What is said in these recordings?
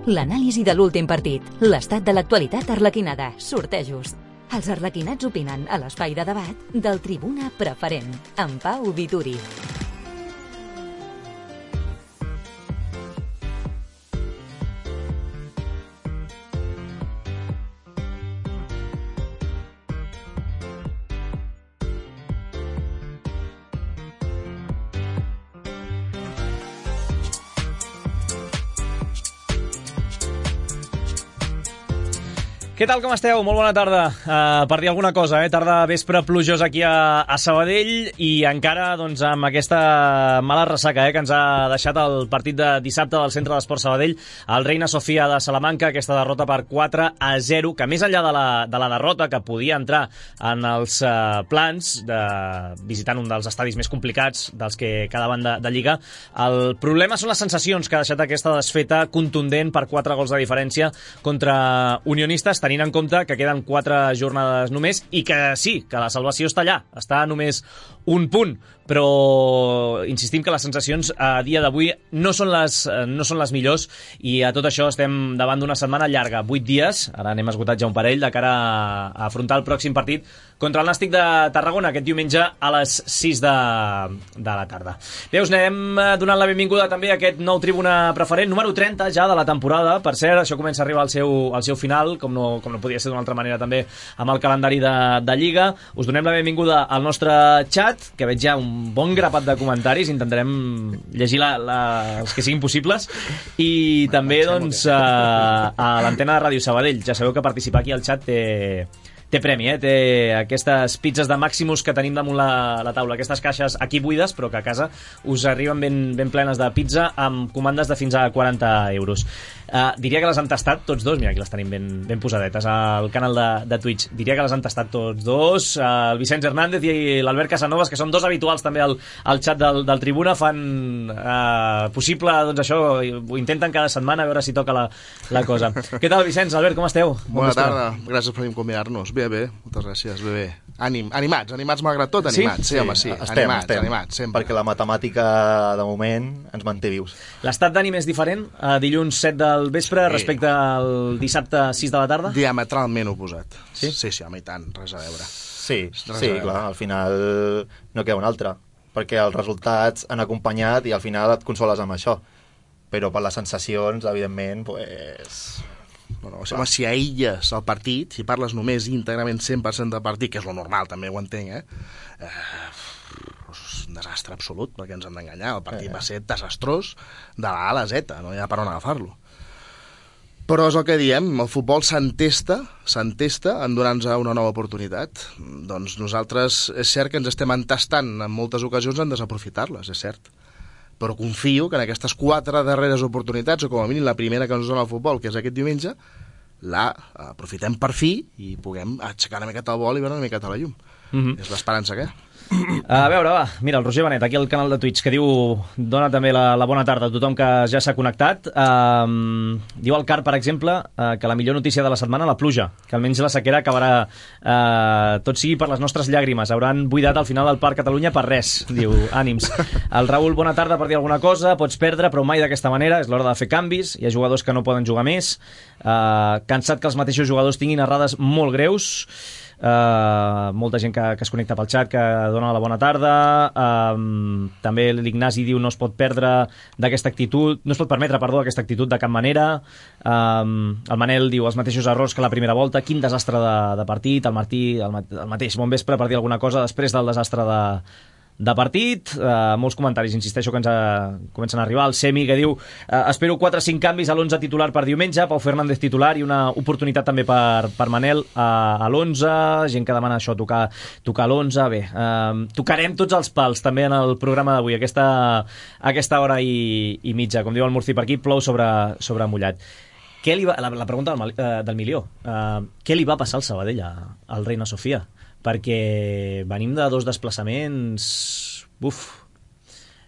L'anàlisi de l'últim partit, l'estat de l'actualitat arlequinada, sortejos. Els arlequinats opinen a l'espai de debat del Tribuna Preferent, amb Pau Vituri. Què tal, com esteu? Molt bona tarda. Per dir alguna cosa, tarda vespre plujosa aquí a Sabadell i encara doncs, amb aquesta mala ressaca que ens ha deixat el partit de dissabte del Centre d'Esport Sabadell, el Reina Sofia de Salamanca, aquesta derrota per 4-0, que més enllà de la derrota, que podia entrar en els plans de visitant un dels estadis més complicats dels que quedaven de Lliga, el problema són les sensacions que ha deixat aquesta desfeta contundent per 4 gols de diferència contra Unionistes, tenint en compte que queden 4 jornades només i que sí, que la salvació està allà, està només un punt, però insistim que les sensacions a dia d'avui no són les millors i a tot això estem davant d'una setmana llarga, 8 dies, ara n'hem esgotat ja un parell, de cara a afrontar el pròxim partit contra el Nàstic de Tarragona aquest diumenge a les 6 de la tarda. Bé, us anem donant la benvinguda també a aquest nou Tribuna Preferent, número 30 ja de la temporada. Per cert, això comença a arribar al seu final, com no podia ser d'una altra manera també amb el calendari de Lliga. Us donem la benvinguda al nostre xat, que veig ja un bon grapat de comentaris, intentarem llegir els que siguin possibles, i també doncs, a l'antena de Ràdio Sabadell. Ja sabeu que participar aquí al xat té premi, té aquestes pizzas de Maximus que tenim damunt la taula, aquestes caixes aquí buides, però que a casa us arriben ben plenes de pizza amb comandes de fins a 40 euros. Diria que les han tastat tots dos, mira, aquí les tenim ben posadetes al canal de Twitch, diria que les han tastat tots dos, el Vicenç Hernández i l'Albert Casanovas, que són dos habituals també al xat del Tribuna, fan possible, doncs això, ho intenten cada setmana a veure si toca la cosa. Què tal, Vicenç, Albert, com esteu? Bona tarda, gràcies per convidar-nos. Bé, moltes gràcies, bé. Animats malgrat tot, animats. Sí, home, sí, animats, sempre. Perquè la matemàtica, de moment, ens manté vius. L'estat d'ànim és diferent dilluns 7 del vespre respecte al dissabte 6 de la tarda? Diametralment oposat. Sí? Sí, home, i tant, res a veure. Sí, clar, al final no queda un altre, perquè els resultats han acompanyat i al final et consoles amb això. Però per les sensacions, evidentment, doncs... Bueno, si aïlles el partit, si parles només íntegrament 100% del partit, que és lo normal, també ho entenc, és un desastre absolut, perquè ens han d'enganyar. El partit va ser desastrós de la A a la Z, no hi ha per on agafar-lo. Però és el que diem, el futbol s'entesta en donar-nos una nova oportunitat. Doncs nosaltres és cert que ens estem entestant en moltes ocasions en desaprofitar-les, és cert. Però confio que en aquestes 4 darreres oportunitats, o com a mínim la primera que ens dona el futbol, que és aquest diumenge, la aprofitem per fi i puguem aixecar una miqueta el vol i veure una miqueta la llum. És l'esperança que hi ha. A veure, va, mira, el Roger Benet, aquí al canal de Twitch, que diu, dona també la bona tarda a tothom que ja s'ha connectat. Diu el Car, per exemple, que la millor notícia de la setmana, la pluja, que almenys la sequera acabarà, tot sigui per les nostres llàgrimes, hauran buidat al final del Parc Catalunya per res, diu, ànims. El Raül, bona tarda, per dir alguna cosa, pots perdre, però mai d'aquesta manera, és l'hora de fer canvis, hi ha jugadors que no poden jugar més, cansat que els mateixos jugadors tinguin errades molt greus. Molta gent que es connecta pel xat, que dona la bona tarda. També l'Ignasi diu no es pot permetre aquesta actitud de cap manera. El Manel diu els mateixos errors que la primera volta, quin desastre de partit. El Martí el mateix, bon vespre, per dir alguna cosa després del desastre de partit. Molts comentaris, insisteixo, que ens comencen a arribar. El Semi, que diu espero 4 o 5 canvis a l'11 titular per diumenge, Pau Fernández titular i una oportunitat també per Manel a l'11, gent que demana això, tocar l'11. Bé, tocarem tots els pals també en el programa d'avui, aquesta hora i mitja, com diu el Murci per aquí, plou sobre mullat. La pregunta del milió, què li va passar al Sabadell al Reina Sofia? Perquè venim de 2 desplaçaments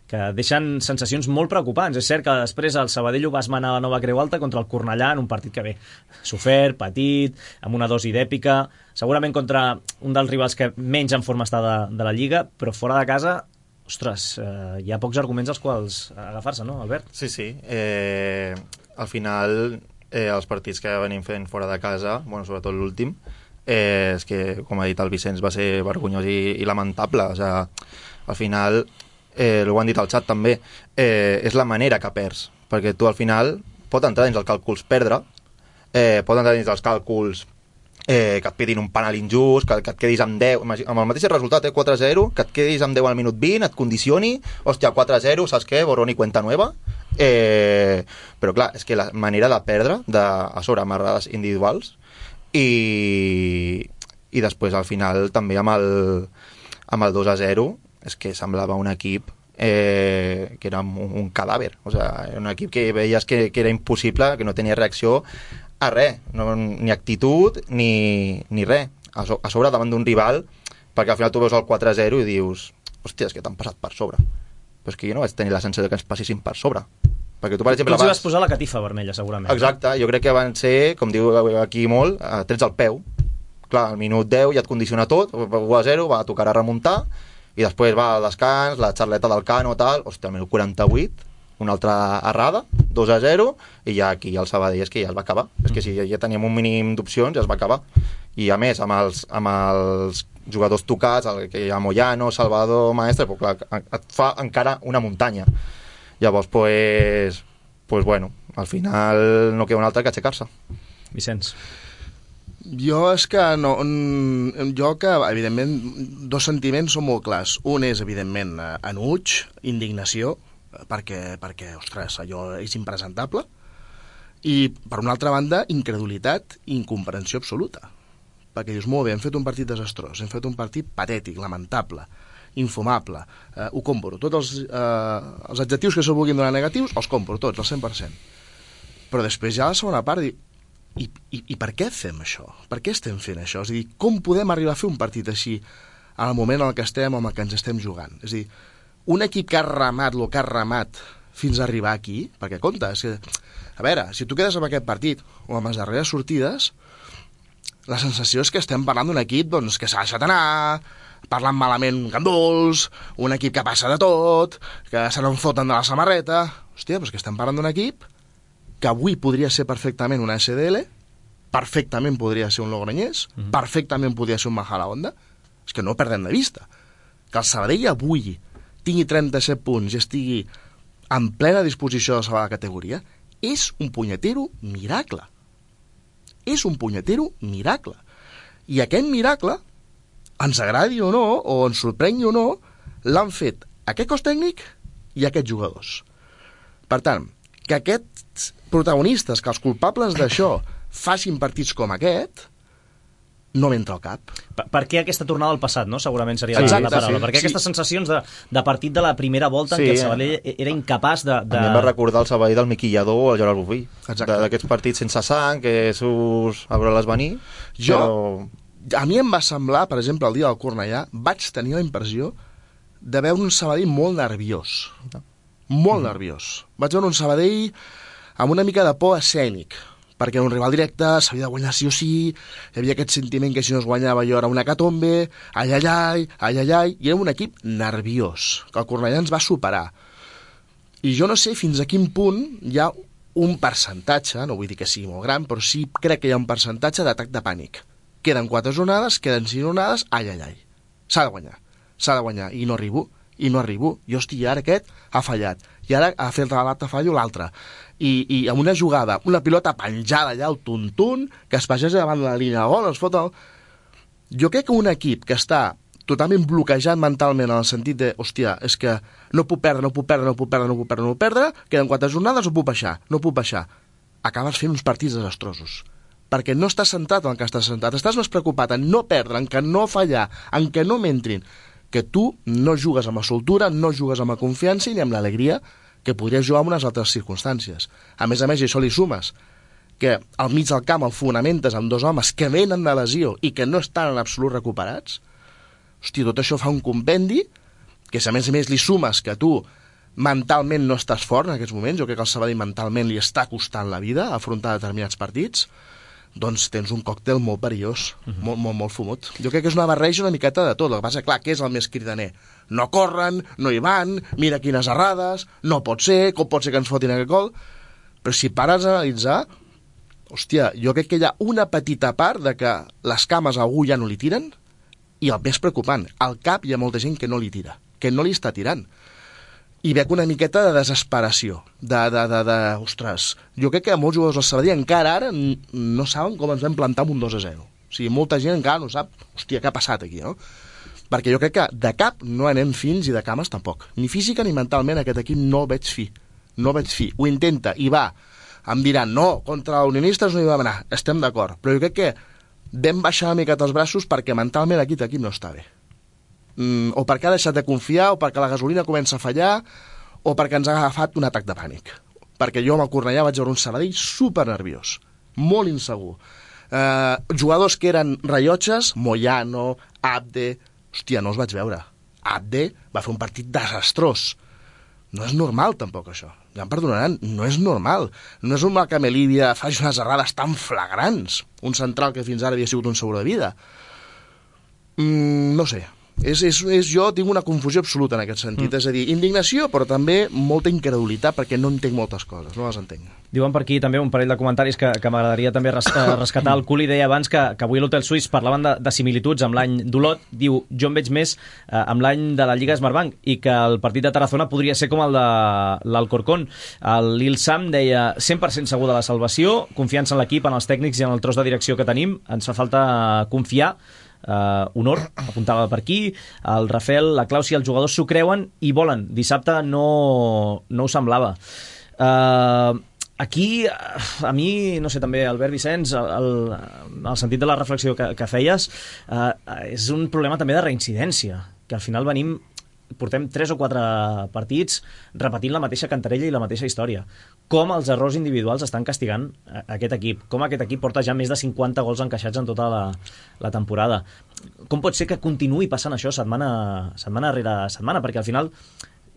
que deixen sensacions molt preocupants. És cert que després el Sabadell ho va esmenar a la Nova Creu Alta contra el Cornellà en un partit que sofert, petit, amb una dosi d'èpica, segurament contra un dels rivals que menys en forma està de la Lliga, però fora de casa, ostres, hi ha pocs arguments als quals agafar-se, no, Albert? Sí. al final els partits que venim fent fora de casa, bueno, sobretot l'últim, és que, com ha dit el Vicenç, va ser vergonyós i lamentable. O sigui, al final, ho han dit al xat també, és la manera que perds, perquè tu al final pot entrar dins els càlculs perdre, pot entrar dins els càlculs que et pitin un penal injust, que et quedis amb 10, amb el mateix resultat, 4-0, que et quedis amb 10 al minut 20, et condicioni, hòstia, 4-0, saps què? Borrón i cuenta nueva. Però clar, és que la manera de perdre, a sobre amb errades individuals, i després al final també amb el 2-0 és que semblava un equip que era un cadàver, o sigui, era un equip que veies que era impossible, que no tenia reacció a res, ni actitud ni res, a sobre davant d'un rival, perquè al final tu veus el 4-0 i dius, hòstia, és que t'han passat per sobre, però és que jo no vaig tenir la sensació que ens passessin per sobre, perquè tu per exemple tu vas posar la catifa vermella segurament. Exacte, jo crec que van ser, com diu aquí molt, trets al peu, clar, al minut 10 ja et condiciona tot, 1-0, va tocar a remuntar, i després va al descans, la xarleta del Cano, tal, hòstia, al minut 48 una altra errada, 2-0, i ja aquí el Sabadell és que ja es va acabar. És que si ja teníem un mínim d'opcions, ja es va acabar. I a més, amb els jugadors tocats, que hi ha Moyano, Salvador, Maestre, però clar, et fa encara una muntanya. Llavors, pues bueno, al final no queda un altre que aixecar-se. Vicenç. Jo és que evidentment, dos sentiments són molt clars. Un és, evidentment, enuig, indignació, perquè, ostres, allò és impresentable, i per una altra banda incredulitat i incomprensió absoluta, perquè dius, molt bé, hem fet un partit desastrós, hem fet un partit patètic, lamentable, infumable, ho compro, tots els adjectius que se vulguin donar negatius els compro tots, al 100%, però després ja a la segona part i per què fem això? Per què estem fent això? És a dir, com podem arribar a fer un partit així en el moment en què estem, en el que ens estem jugant? És a dir, un equip que ha remat el que ha remat fins a arribar aquí, perquè compte, a veure, si tu quedes amb aquest partit o amb les darreres sortides, la sensació és que estem parlant d'un equip doncs, que s'ha deixat anar, parlant malament ganduls, un equip que passa de tot, que se n'en foten de la samarreta. Hòstia, però és que estem parlant d'un equip que avui podria ser perfectament una SDL, perfectament podria ser un Logroñés, perfectament podria ser un Majadahonda. És que no perdem de vista que el Sabadell avui tingui 37 punts i estigui en plena disposició de salvar la categoria, és un punyetero miracle. És un punyetero miracle. I aquest miracle, ens agradi o no, o ens sorprengui o no, l'han fet aquest cos tècnic i aquests jugadors. Per tant, que aquests protagonistes, que els culpables d'això facin partits com aquest, no m'entra al cap. Per què aquesta tornada al passat, no? Segurament seria la paraula. Per què aquestes sensacions de partit de la primera volta en què el Sabadell era incapaç de... A mi em va recordar el Sabadell del Miquillador o el Gerard Boví. D'aquests partits sense sang, que surts a veure-les venir. A mi em va semblar, per exemple, el dia del Cornellà, vaig tenir la impressió de veure un Sabadell molt nerviós. Molt nerviós. Vaig veure un Sabadell amb una mica de por escènic, perquè era un rival directe, s'havia de guanyar sí o sí, hi havia aquest sentiment que si no es guanyava jo era una catombe, ai, i era un equip nerviós, que el Cornellà ens va superar. I jo no sé fins a quin punt hi ha un percentatge, no vull dir que sigui molt gran, però sí crec que hi ha un percentatge d'atac de pànic. Queden 4 jornades, queden 5 jornades, ai, s'ha de guanyar, i no arribo, jo estic, ara aquest ha fallat, i ara ha fet l'altre fallo l'altre, i amb una jugada, una pilota penjada allà al tuntun, que es passeja davant de la línia de gol, es fot el... Jo crec que un equip que està totalment bloquejat mentalment en el sentit de, hòstia, és que no puc perdre, queden 4 jornades, no puc baixar, acabes fent uns partits desastrosos, perquè no estàs centrat en el que estàs centrat, estàs més preocupat en no perdre, en que no fallar, en que no m'entrin, que tu no jugues amb la soltura, no jugues amb la confiança ni amb l'alegria que podries jugar en unes altres circumstàncies. A més, i això li sumes, que al mig del camp el fonamentes amb 2 homes que venen de lesió i que no estan en absolut recuperats, hòstia, tot això fa un compendi que, si a més li sumes que tu mentalment no estàs fort en aquests moments, jo crec que el Sabadell mentalment li està costant la vida afrontar determinats partits, doncs tens un còctel molt perillós, molt fumut. Jo crec que és una barreja una miqueta de tot. El que passa, clar, què és el més cridaner? No corren, no hi van, mira quines errades, no pot ser, com pot ser que ens fotin aquest gol? Però si pares a analitzar, hòstia, jo crec que hi ha una petita part de que les cames a algú ja no li tiren, i el més preocupant, al cap hi ha molta gent que no li tira, que no li està tirant. I veig una miqueta de desesperació, ostres, jo crec que molts jugadors del Sabadell encara ara no saben com ens vam plantar amb un 2-0. O sigui, molta gent encara no sap, hòstia, què ha passat aquí, no? Perquè jo crec que de cap no anem fins i de cames tampoc. Ni física ni mentalment aquest equip no el veig fi. No el veig fi. Ho intenta i va. Em diran, no, contra l'Unionistes no hi va anar. Estem d'acord. Però jo crec que vam baixar una miqueta els braços perquè mentalment aquest equip no està bé. O perquè ha deixat de confiar, o perquè la gasolina comença a fallar, o perquè ens ha agafat un atac de pànic. Perquè jo amb el Cornellà vaig veure un Sabadell super nerviós, molt insegur. Jugadors que eren rellotges, Moyano, Abde... Hòstia, no els vaig veure. Abde va fer un partit desastrós. No és normal, tampoc, això. Ja em perdonaran, no és normal. No és normal que Melívia faci unes errades tan flagrants. Un central que fins ara havia sigut un seguro de vida. No sé. Jo tinc una confusió absoluta en aquest sentit. És a dir, indignació, però també molta incredulitat, perquè no entenc moltes coses, no les entenc. Diuen per aquí també un parell de comentaris que m'agradaria també rescatar. El Culi deia abans que avui a l'Hotel Suís parlaven de similituds amb l'any d'Olot. Diu, jo em veig més amb l'any de la Lliga Smartbank i que el partit de Tarazona podria ser com el de l'Alcorcón. L'Il Sam deia 100% segur de la salvació, confiança en l'equip, en els tècnics i en el tros de direcció que tenim. Ens fa falta confiar. Honor, apuntava per aquí. El Rafael, la Clàudia, els jugadors s'ho creuen i volen. Dissabte no ho semblava. Aquí, a mi, no sé, també, Albert Vicenç, el sentit de la reflexió que feies, és un problema també de reincidència, que al final portem 3 o 4 partits repetint la mateixa cantarella i la mateixa història. Com els errors individuals estan castigant aquest equip, com aquest equip porta ja més de 50 gols encaixats en tota la temporada. Com pot ser que continuï passant això setmana rere setmana? Perquè al final,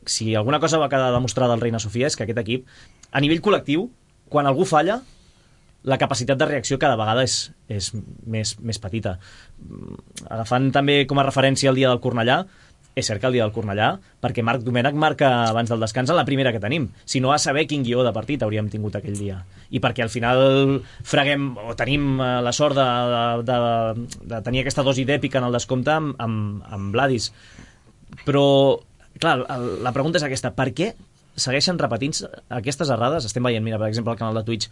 si alguna cosa va quedar demostrada al Reina Sofia és que aquest equip, a nivell col·lectiu, quan algú falla, la capacitat de reacció cada vegada és més petita. Agafant també com a referència el dia del Cornellà, és cert que el dia del Cornellà, perquè Marc Domènech marca abans del descans en la primera que tenim. Si no, a saber quin guió de partit hauríem tingut aquell dia. I perquè al final freguem, o tenim la sort de tenir aquesta dosi d'èpica en el descompte amb Vladis. Però, clar, la pregunta és aquesta. Per què segueixen repetint aquestes errades? Estem veient, mira, per exemple, al canal de Twitch,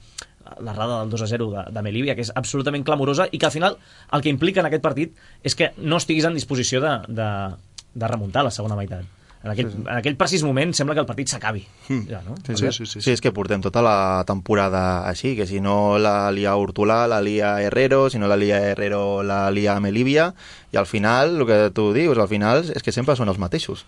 l'errada del 2-0 de Melívia, que és absolutament clamorosa i que al final el que implica en aquest partit és que no estiguis en disposició de remuntar la segona meitat. En aquell precís moment sembla que el partit s'acabi. Ja, no? Sí, és que portem tota la temporada així, que si no la lia Hortolà, la lia Herrero, si no la lia Herrero, la lia Melívia, i al final, el que tu dius, al final és que sempre són els mateixos.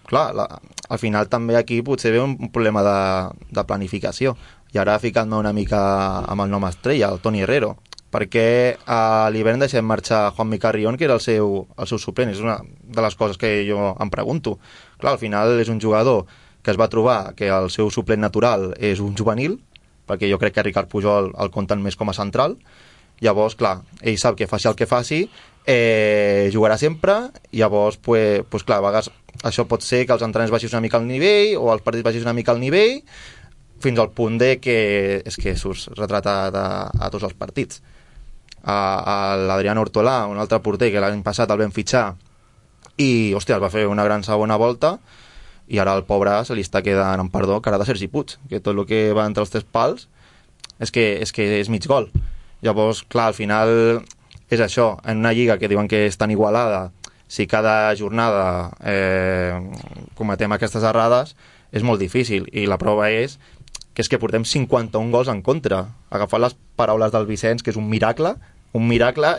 Clar, al final també aquí potser ve un problema de planificació. I ara ficant-me una mica amb el nom estrella, el Toni Herrero, perquè a l'hivern deixem marxar Juanmi Carrión, que era el seu suplent. És una de les coses que jo em pregunto. Clar, al final és un jugador que es va trobar que el seu suplent natural és un juvenil, perquè jo crec que Ricard Pujol el compten més com a central. Llavors, clar, ell sap que faci el que faci, jugarà sempre, i llavors, pues, clar, a vegades això pot ser que els entrenaments baixis una mica al nivell, o els partits baixis una mica al nivell, fins al punt de que és que surts retratat a tots els partits. L'Adrián Hortolà, un altre porter que l'any passat el vam fitxar i, hòstia, va fer una gran segona volta, i ara el pobre se li està quedant en perdó cara de Sergi Puig, que tot el que va entre els 3 pals és que és mig gol. Llavors, clar, al final és això, en una lliga que diuen que és tan igualada, si cada jornada cometem aquestes errades, és molt difícil, i la prova és que portem 51 gols en contra. Agafant les paraules del Vicenç, que és un miracle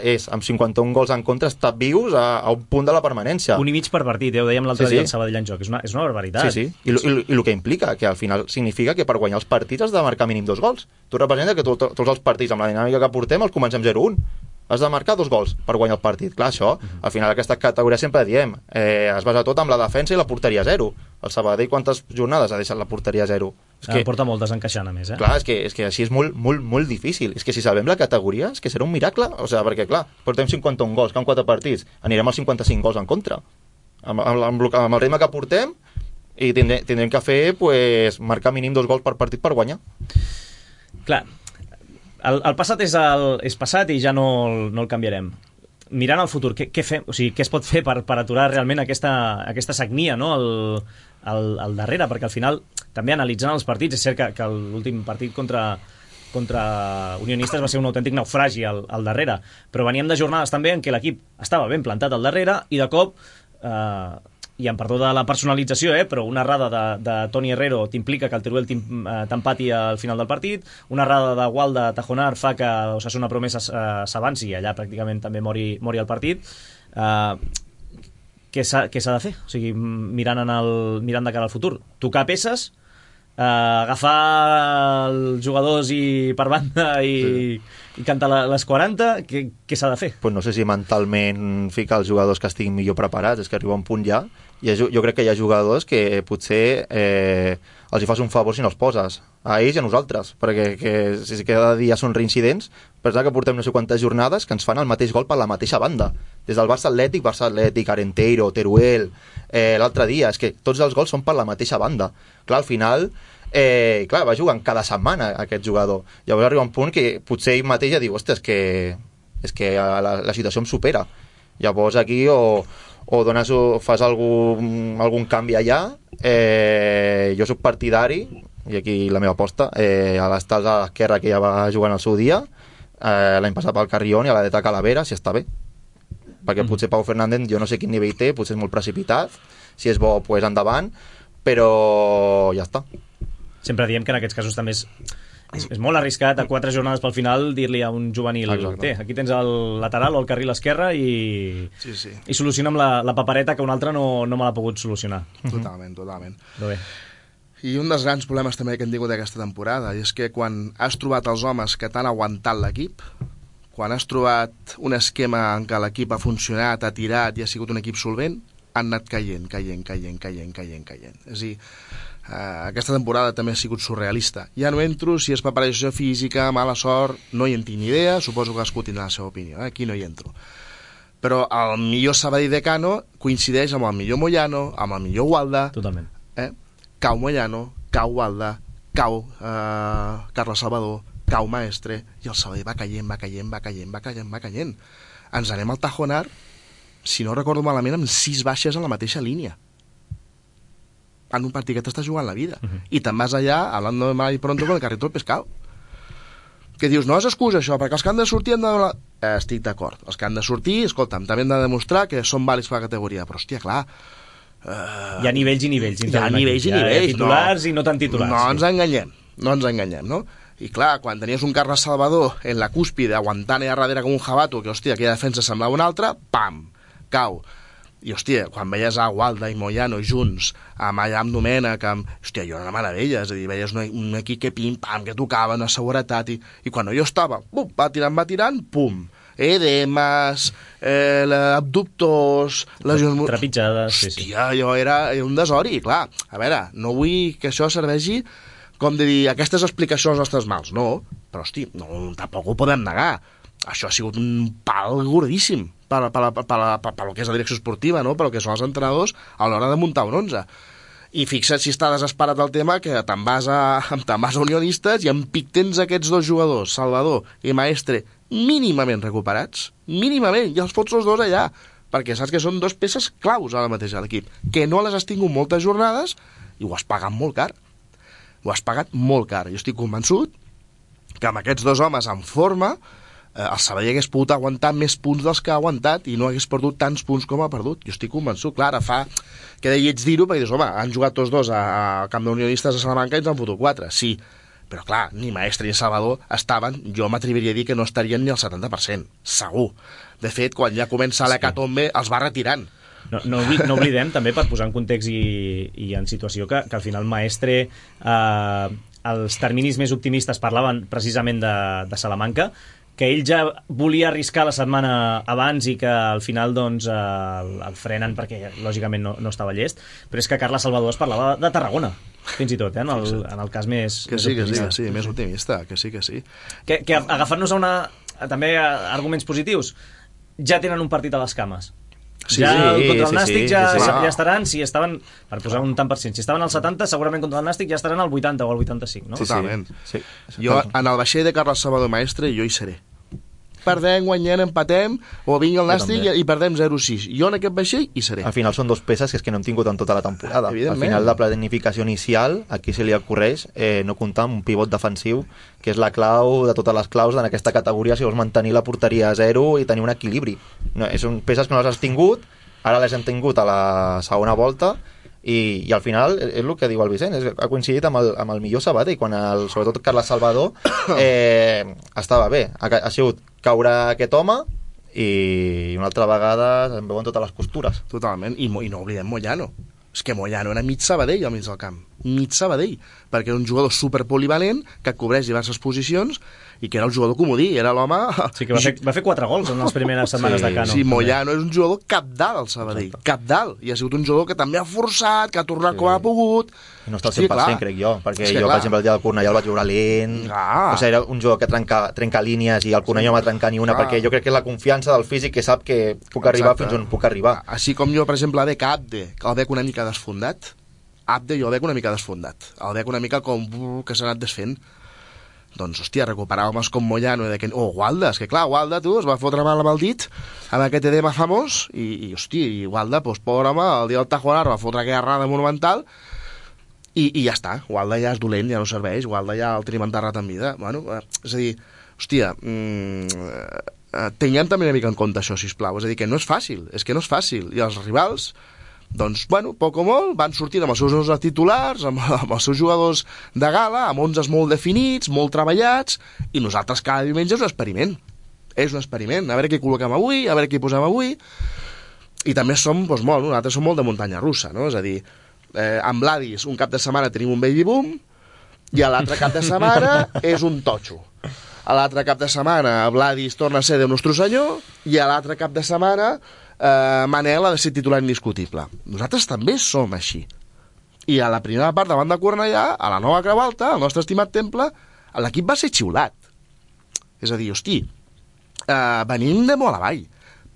és, amb 51 gols en contra, estar vius a un punt de la permanència. 1,5 per partit, ho dèiem l'altre dia al Sabadell en joc. És una barbaritat. Sí. I el que implica, que al final significa que per guanyar els partits has de marcar mínim 2 gols. Tu representa que tots els partits, amb la dinàmica que portem, els comencem 0-1. Has de marcar 2 gols per guanyar el partit. Clar, això, al final aquesta categoria sempre diem, es basa tot amb la defensa i la porteria 0. El Sabadell quantes jornades ha deixat la porteria 0? Porta moltes encaixant, a més, Clar, és que així és molt, molt, molt difícil. És que si salvem la categoria, és que serà un miracle. O sigui, perquè, clar, portem 51 gols, que en 4 partits anirem als 55 gols en contra. Amb el ritme que portem, i tindrem que fer, pues, marcar mínim 2 gols per partit per guanyar. Clar, el passat és passat i ja no el canviarem. Mirant al futur, què fem? O sigui, què es pot fer per aturar realment aquesta sagnia, no? al darrere, perquè al final, també analitzant els partits, és cert que l'últim partit contra Unionistes va ser un autèntic naufragi al darrere, però veníem de jornades també en què l'equip estava ben plantat al darrere i de cop, i em perdó de la personalització, però una errada de Toni Herrero t'implica que el Teruel t'empati al final del partit, una errada de Walda Tajonar fa que Osasuna Promesa s'avanci i allà pràcticament també mori el partit. Què s'ha de fer? O sigui, mirant de cara al futur, tocar peces, agafar els jugadors per banda i cantar les 40, què s'ha de fer? Pues no sé si mentalment ficar els jugadors que estiguin millor preparats, és que arriba un punt ja, i jo crec que hi ha jugadors que potser els hi fas un favor si no els poses, a ells i a nosaltres, perquè si cada dia són reincidents, pensar que portem no sé quantes jornades que ens fan el mateix gol per la mateixa banda, des del Barça Atlètic, Arenteiro, Teruel, l'altre dia, és que tots els gols són per la mateixa banda. Clar, al final, va jugant cada setmana aquest jugador. Llavors arriba un punt que potser ell mateix ja diu, ostres, és que la situació em supera. Llavors aquí o fas algun canvi allà. Jo soc partidari, i aquí la meva aposta, a l'Estals a l'esquerra que ja va jugant al seu dia, l'any passat pel Carrión i a la de Calavera, si està bé. Perquè potser Pau Fernández, jo no sé quin nivell té, potser és molt precipitat, si és bo, pues endavant, però ja està. Sempre diem que en aquests casos també és molt arriscat a 4 jornades pel final dir-li a un juvenil, aquí tens el lateral o el carril esquerre i soluciona amb la papereta que un altre no me l'ha pogut solucionar. Totalment. Bé. I un dels grans problemes també que hem tingut aquesta temporada és que quan has trobat els homes que t'han aguantat l'equip, quan has trobat un esquema en què l'equip ha funcionat, ha tirat i ha sigut un equip solvent, han anat caient. És a dir, aquesta temporada també ha sigut surrealista. Ja no entro si és preparació física, mala sort, no hi en tinc ni idea, suposo que cadascú tindrà la seva opinió, aquí no hi entro. Però el millor Sabadell de Cano coincideix amb el millor Moyano, amb el millor Walda. Totalment. Cau Moyano, cau Walda, cau Carles Salvador, cau Maestre, i el Sabadell va caient. Ens anem al Tajonar, si no recordo malament, amb 6 baixes a la mateixa línia. En un partit que t'està jugant la vida. I te'n vas allà, hablando de mal y pronto, con el carrito del pescado. Que dius, no és excusa això, perquè els que han de sortir han de... Estic d'acord. Els que han de sortir, escolta'm, també han de demostrar que són vàlids per la categoria. Però, hòstia, clar... Hi ha nivells i nivells. Hi ha nivells i nivells. Hi ha titulars i no tan titulars. No ens enganyem, no? I clar, quan tenies un Carles Salvador en la cúspide, aguantant allà darrere com un jabato, que, hòstia, aquella defensa semblava una altra, pam, cau. I, hòstia, quan veies a Walda i Moyano junts, amb Domènech, hòstia, jo era una meravella, és a dir, veies un equip que pim-pam, que tocava, una seguretat, i quan jo estava, pum, va tirant, pum, edemes, abductors, lesions... Trepitjades, sí. Hòstia, jo era un desori, clar. A veure, no vull que això serveixi com de dir, aquestes explicacions als nostres mals, no, però, hosti, no, tampoc ho podem negar. Això ha sigut un pal gordíssim per lo que és la direcció esportiva, no? Per lo que són els entrenadors a l'hora de muntar un 11. I fixa't si està desesperat el tema que te'n vas a Unionistes i en pic tens aquests 2 jugadors, Salvador i Maestre, mínimament recuperats, mínimament, i els fots els 2 allà, perquè saps que són 2 peces claus ara mateix a l'equip, que no les has tingut moltes jornades i ho has pagat molt car. Jo estic convençut que amb aquests 2 homes en forma el Sabadell hagués pogut aguantar més punts dels que ha aguantat i no hagués perdut tants punts com ha perdut. Jo estic convençut, clar, ara fa que de lleig dir-ho, perquè dius, home, han jugat tots 2 al camp d'Unionistes a Salamanca i ens han fotut 4, sí, però clar, ni Maestre ni Salvador estaven, jo m'atreviria a dir que no estarien ni al 70%, segur. De fet, quan ja comença l'hecatombe, els va retirant. No oblidem també, per posar en context i en situació, que al final Maestre, els terminis més optimistes parlaven precisament de Salamanca, que ell ja volia arriscar la setmana abans i que al final doncs, el frenen perquè lògicament no estava llest, però és que Carles Salvador es parlava de Tarragona, fins i tot, en el cas més optimista. Sí, més optimista, que sí. Que agafant-nos també arguments positius, ja tenen un partit a les cames. Contra el Nàstic ja estaran, si estaven, per posar un tant per cent, si estaven al 70, segurament contra el Nàstic ja estaran al 80 o al 85, no? Totalment. Sí. Jo, en el vaixell de Carles Salvador Maestre, jo hi seré. Perdem, guanyem, empatem, o vingui el Nàstic i perdem 0-6. Jo en aquest vaixell hi seré. Al final són dos peces que és que no hem tingut en tota la temporada. Al final la planificació inicial, aquí se li ocorreix no comptar amb un pivot defensiu, que és la clau de totes les claus en aquesta categoria si vols mantenir la porteria a 0 i tenir un equilibri. No, són peces que no les has tingut, ara les hem tingut a la segona volta, i al final és el que diu el Vicent, ha coincidit amb el millor Sabadell, quan sobretot Carles Salvador estava bé, ha sigut caure aquest home i una altra vegada em veuen totes les costures. Totalment, i no oblidem Moyano. És que Moyano era mig Sabadell al mig del camp, mig Sabadell, perquè era un jugador superpolivalent que cobreix diverses posicions i que era el jugador comodí, era l'home... Sí, que va fer 4 gols en les primeres setmanes de Cano. Sí, Moyano és un jugador capdalt al Sabadell, capdalt, i ha sigut un jugador que també ha forçat, que ha tornat com ha pogut... I no està al 100%, crec jo, perquè jo, per exemple, el dia del Cornellà el vaig veure lent, o sigui, era un jugador que trenca línies i el Cornellà no va trencar ni una, perquè jo crec que és la confiança del físic que sap que puc arribar fins on puc arribar. Així com jo, per exemple, veig Abde, que el veig una mica desfondat, Abde jo el veig una mica desfondat, el veig una mica com que s'ha anat desfent. Doncs, hòstia, recuperar homes com Moyano o Gualda, és que clar, Gualda, tu, es va fotre mal amb el dit amb aquest edema famós i hòstia, i Gualda, doncs, pobre home, el dia del Tajonar va fotre aquella errada monumental i ja està, Gualda ja és dolent, ja no serveix, Gualda ja el tenim enterrat en vida. Bueno, és a dir, hòstia, tinguem també una mica en compte això, sisplau, és a dir, que no és fàcil, i els rivals, doncs, bueno, poc o molt, van sortint amb els seus 11 titulars, amb els seus jugadors de gala, amb 11 molt definits, molt treballats, i nosaltres cada diumenge és un experiment, a veure què col·loquem avui, a veure què posem avui, i també som, doncs, nosaltres som molt de muntanya russa, no? És a dir, amb l'Adis un cap de setmana tenim un baby boom, i a l'altre cap de setmana és un totxo. A l'altre cap de setmana Vladis torna a ser Déu Nostre Senyor, i a l'altre cap de setmana Manel ha de ser titular indiscutible. Nosaltres també som així. I a la primera part davant de Cornellà, a la nova Creu Alta, al nostre estimat temple, l'equip va ser xiulat. És a dir, hosti, venim de molt avall,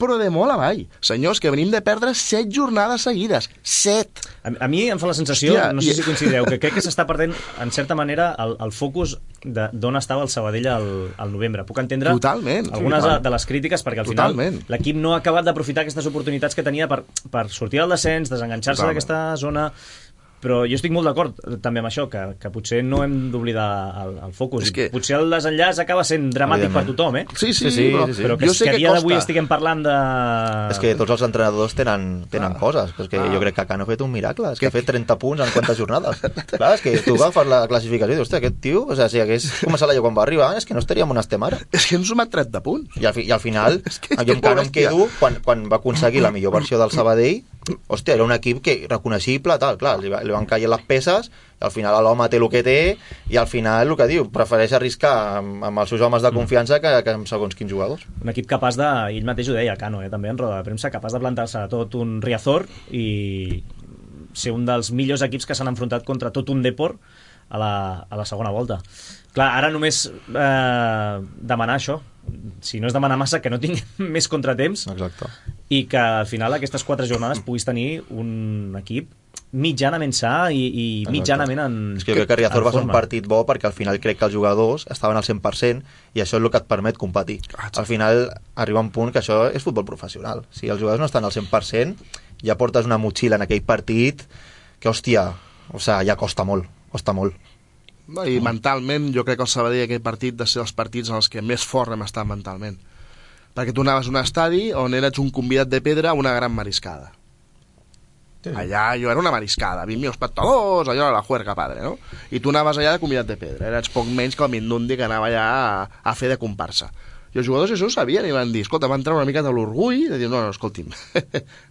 però de molt avall. Senyors, que venim de perdre 7 jornades seguides. 7! A mi em fa la sensació, hòstia, no sé si coincidireu, que crec que s'està perdent, en certa manera, el focus d'on estava el Sabadell al novembre. Puc entendre algunes de les crítiques, perquè al final l'equip no ha acabat d'aprofitar aquestes oportunitats que tenia per sortir del descens, desenganxar-se d'aquesta zona... Però jo estic molt d'acord també amb això, que potser no hem d'oblidar el focus. Potser el desenllaç acaba sent dramàtic per tothom, eh? Sí. Però que a dia d'avui estiguem parlant de... És que tots els entrenadors tenen coses. És que jo crec que Cano ha fet un miracle. És que ha fet 30 punts en quantes jornades. Clar, és que tu agafes la classificació i dius, hòstia, aquest tio, o sigui, si hagués començat l'any quan va arribar, és que no estaríem on estem ara. És que hem sumat 30 punts. I al final, jo amb Cano em quedo, quan va aconseguir la millor versió del Sabadell, hòstia, era un equip que reconeixible, tal, clar, li van caient les peces, i al final l'home té el que té, i al final el que diu, prefereix arriscar amb els seus homes de confiança que amb segons quins jugadors. Un equip capaç de, ell mateix ho deia, Cano, també en roda de premsa, capaç de plantar-se a tot un Riazor i ser un dels millors equips que s'han enfrontat contra tot un Depor a la segona volta. Clar, ara només demanar això, si no és demanar massa, que no tinguem més contratemps. Exacte. I que al final aquestes 4 jornades puguis tenir un equip mitjanament sa i mitjanament en forma. És que jo crec que Riazor va ser un partit bo perquè al final crec que els jugadors estaven al 100% i això és el que et permet competir. Al final arriba un punt que això és futbol professional. Si els jugadors no estan al 100%, ja portes una motxilla en aquell partit que, hòstia, ja costa molt. No, i mentalment jo crec que el Sabadell aquell partit de ser els partits en els que més fort hem estat mentalment, perquè tu anaves a un estadi on eres un convidat de pedra a una gran mariscada. Allà jo era una mariscada, 20.000 espectadors, allò era la juerga padre, no? I tu anaves allà de convidat de pedra, eres poc menys que el Mindundi que anava allà a fer de comparsa. I els jugadors això ho sabien i van dir, escolta, van entrar una mica de l'orgull de dir, no, escolti'm,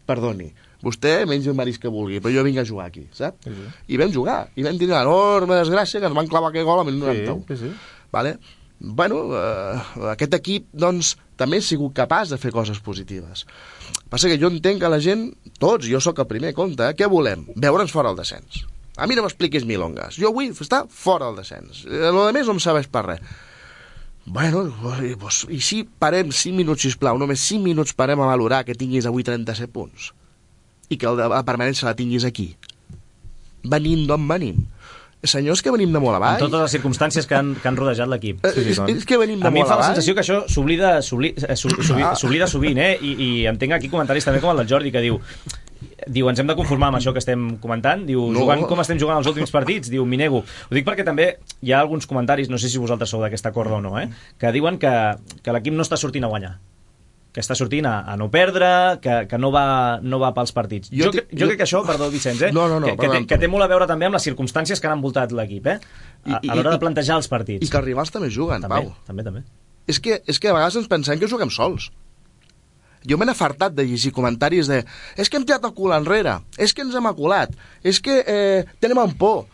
perdoni, vostè menja el marisc que vulgui, però jo vinc a jugar aquí, saps? Sí. I vam jugar, i vam tenir l'enorme desgràcia que ens van clavar aquell gol al minut 91. Sí. Vale? Bueno, aquest equip, doncs, també ha sigut capaç de fer coses positives. Passa que jo entenc que la gent, tots, jo sóc el primer compte, què volem? Veure'ns fora el descens. A mi no m'expliquis milongas. Jo vull estar fora del descens. Lo de més no em serveix per res. Bueno, doncs, i si parem 5 minuts, sisplau, només 5 minuts parem a valorar que tinguis avui 37 punts i que la permanència la tinguis aquí. Venim d'on venim. Senyors, que venim de molt avall. En totes les circumstàncies que han rodejat l'equip. És que venim de molt avall. A mi em fa la sensació que això s'oblida sovint, i entenc aquí comentaris també com el del Jordi, que diu, ens hem de conformar amb això que estem comentant, diu, jugant com estem jugant els últims partits, diu, m'hi nego. Ho dic perquè també hi ha alguns comentaris, no sé si vosaltres sou d'aquesta corda o no, que diuen que l'equip no està sortint a guanyar, que està sortint a no perdre, que no va pels partits. Jo crec que això, perdó, Vicenç, que té molt a veure també amb les circumstàncies que han envoltat l'equip, a l'hora de plantejar els partits. I que els rivals també juguen, Pau. També. És que a vegades ens pensem que juguem sols. Jo m'he afartat de llegir comentaris de és que hem tirat el cul enrere, és que ens hem aculat, és que tenim en por.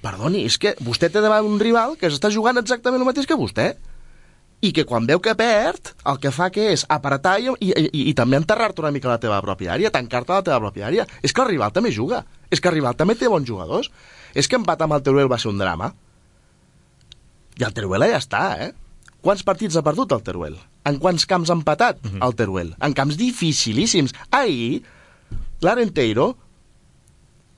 Perdoni, és que vostè té davant un rival que està jugant exactament el mateix que vostè, i que quan veu que perd, el que fa que és apretar i també enterrar-te una mica a la teva pròpia àrea, tancar-te a la teva pròpia àrea. És que el rival també juga, és que el rival també té bons jugadors. És que empatar amb el Teruel va ser un drama. I el Teruel ja està, Quants partits ha perdut el Teruel? En quants camps ha empatat el Teruel? En camps dificilíssims. Ahir, l'Arenteiro,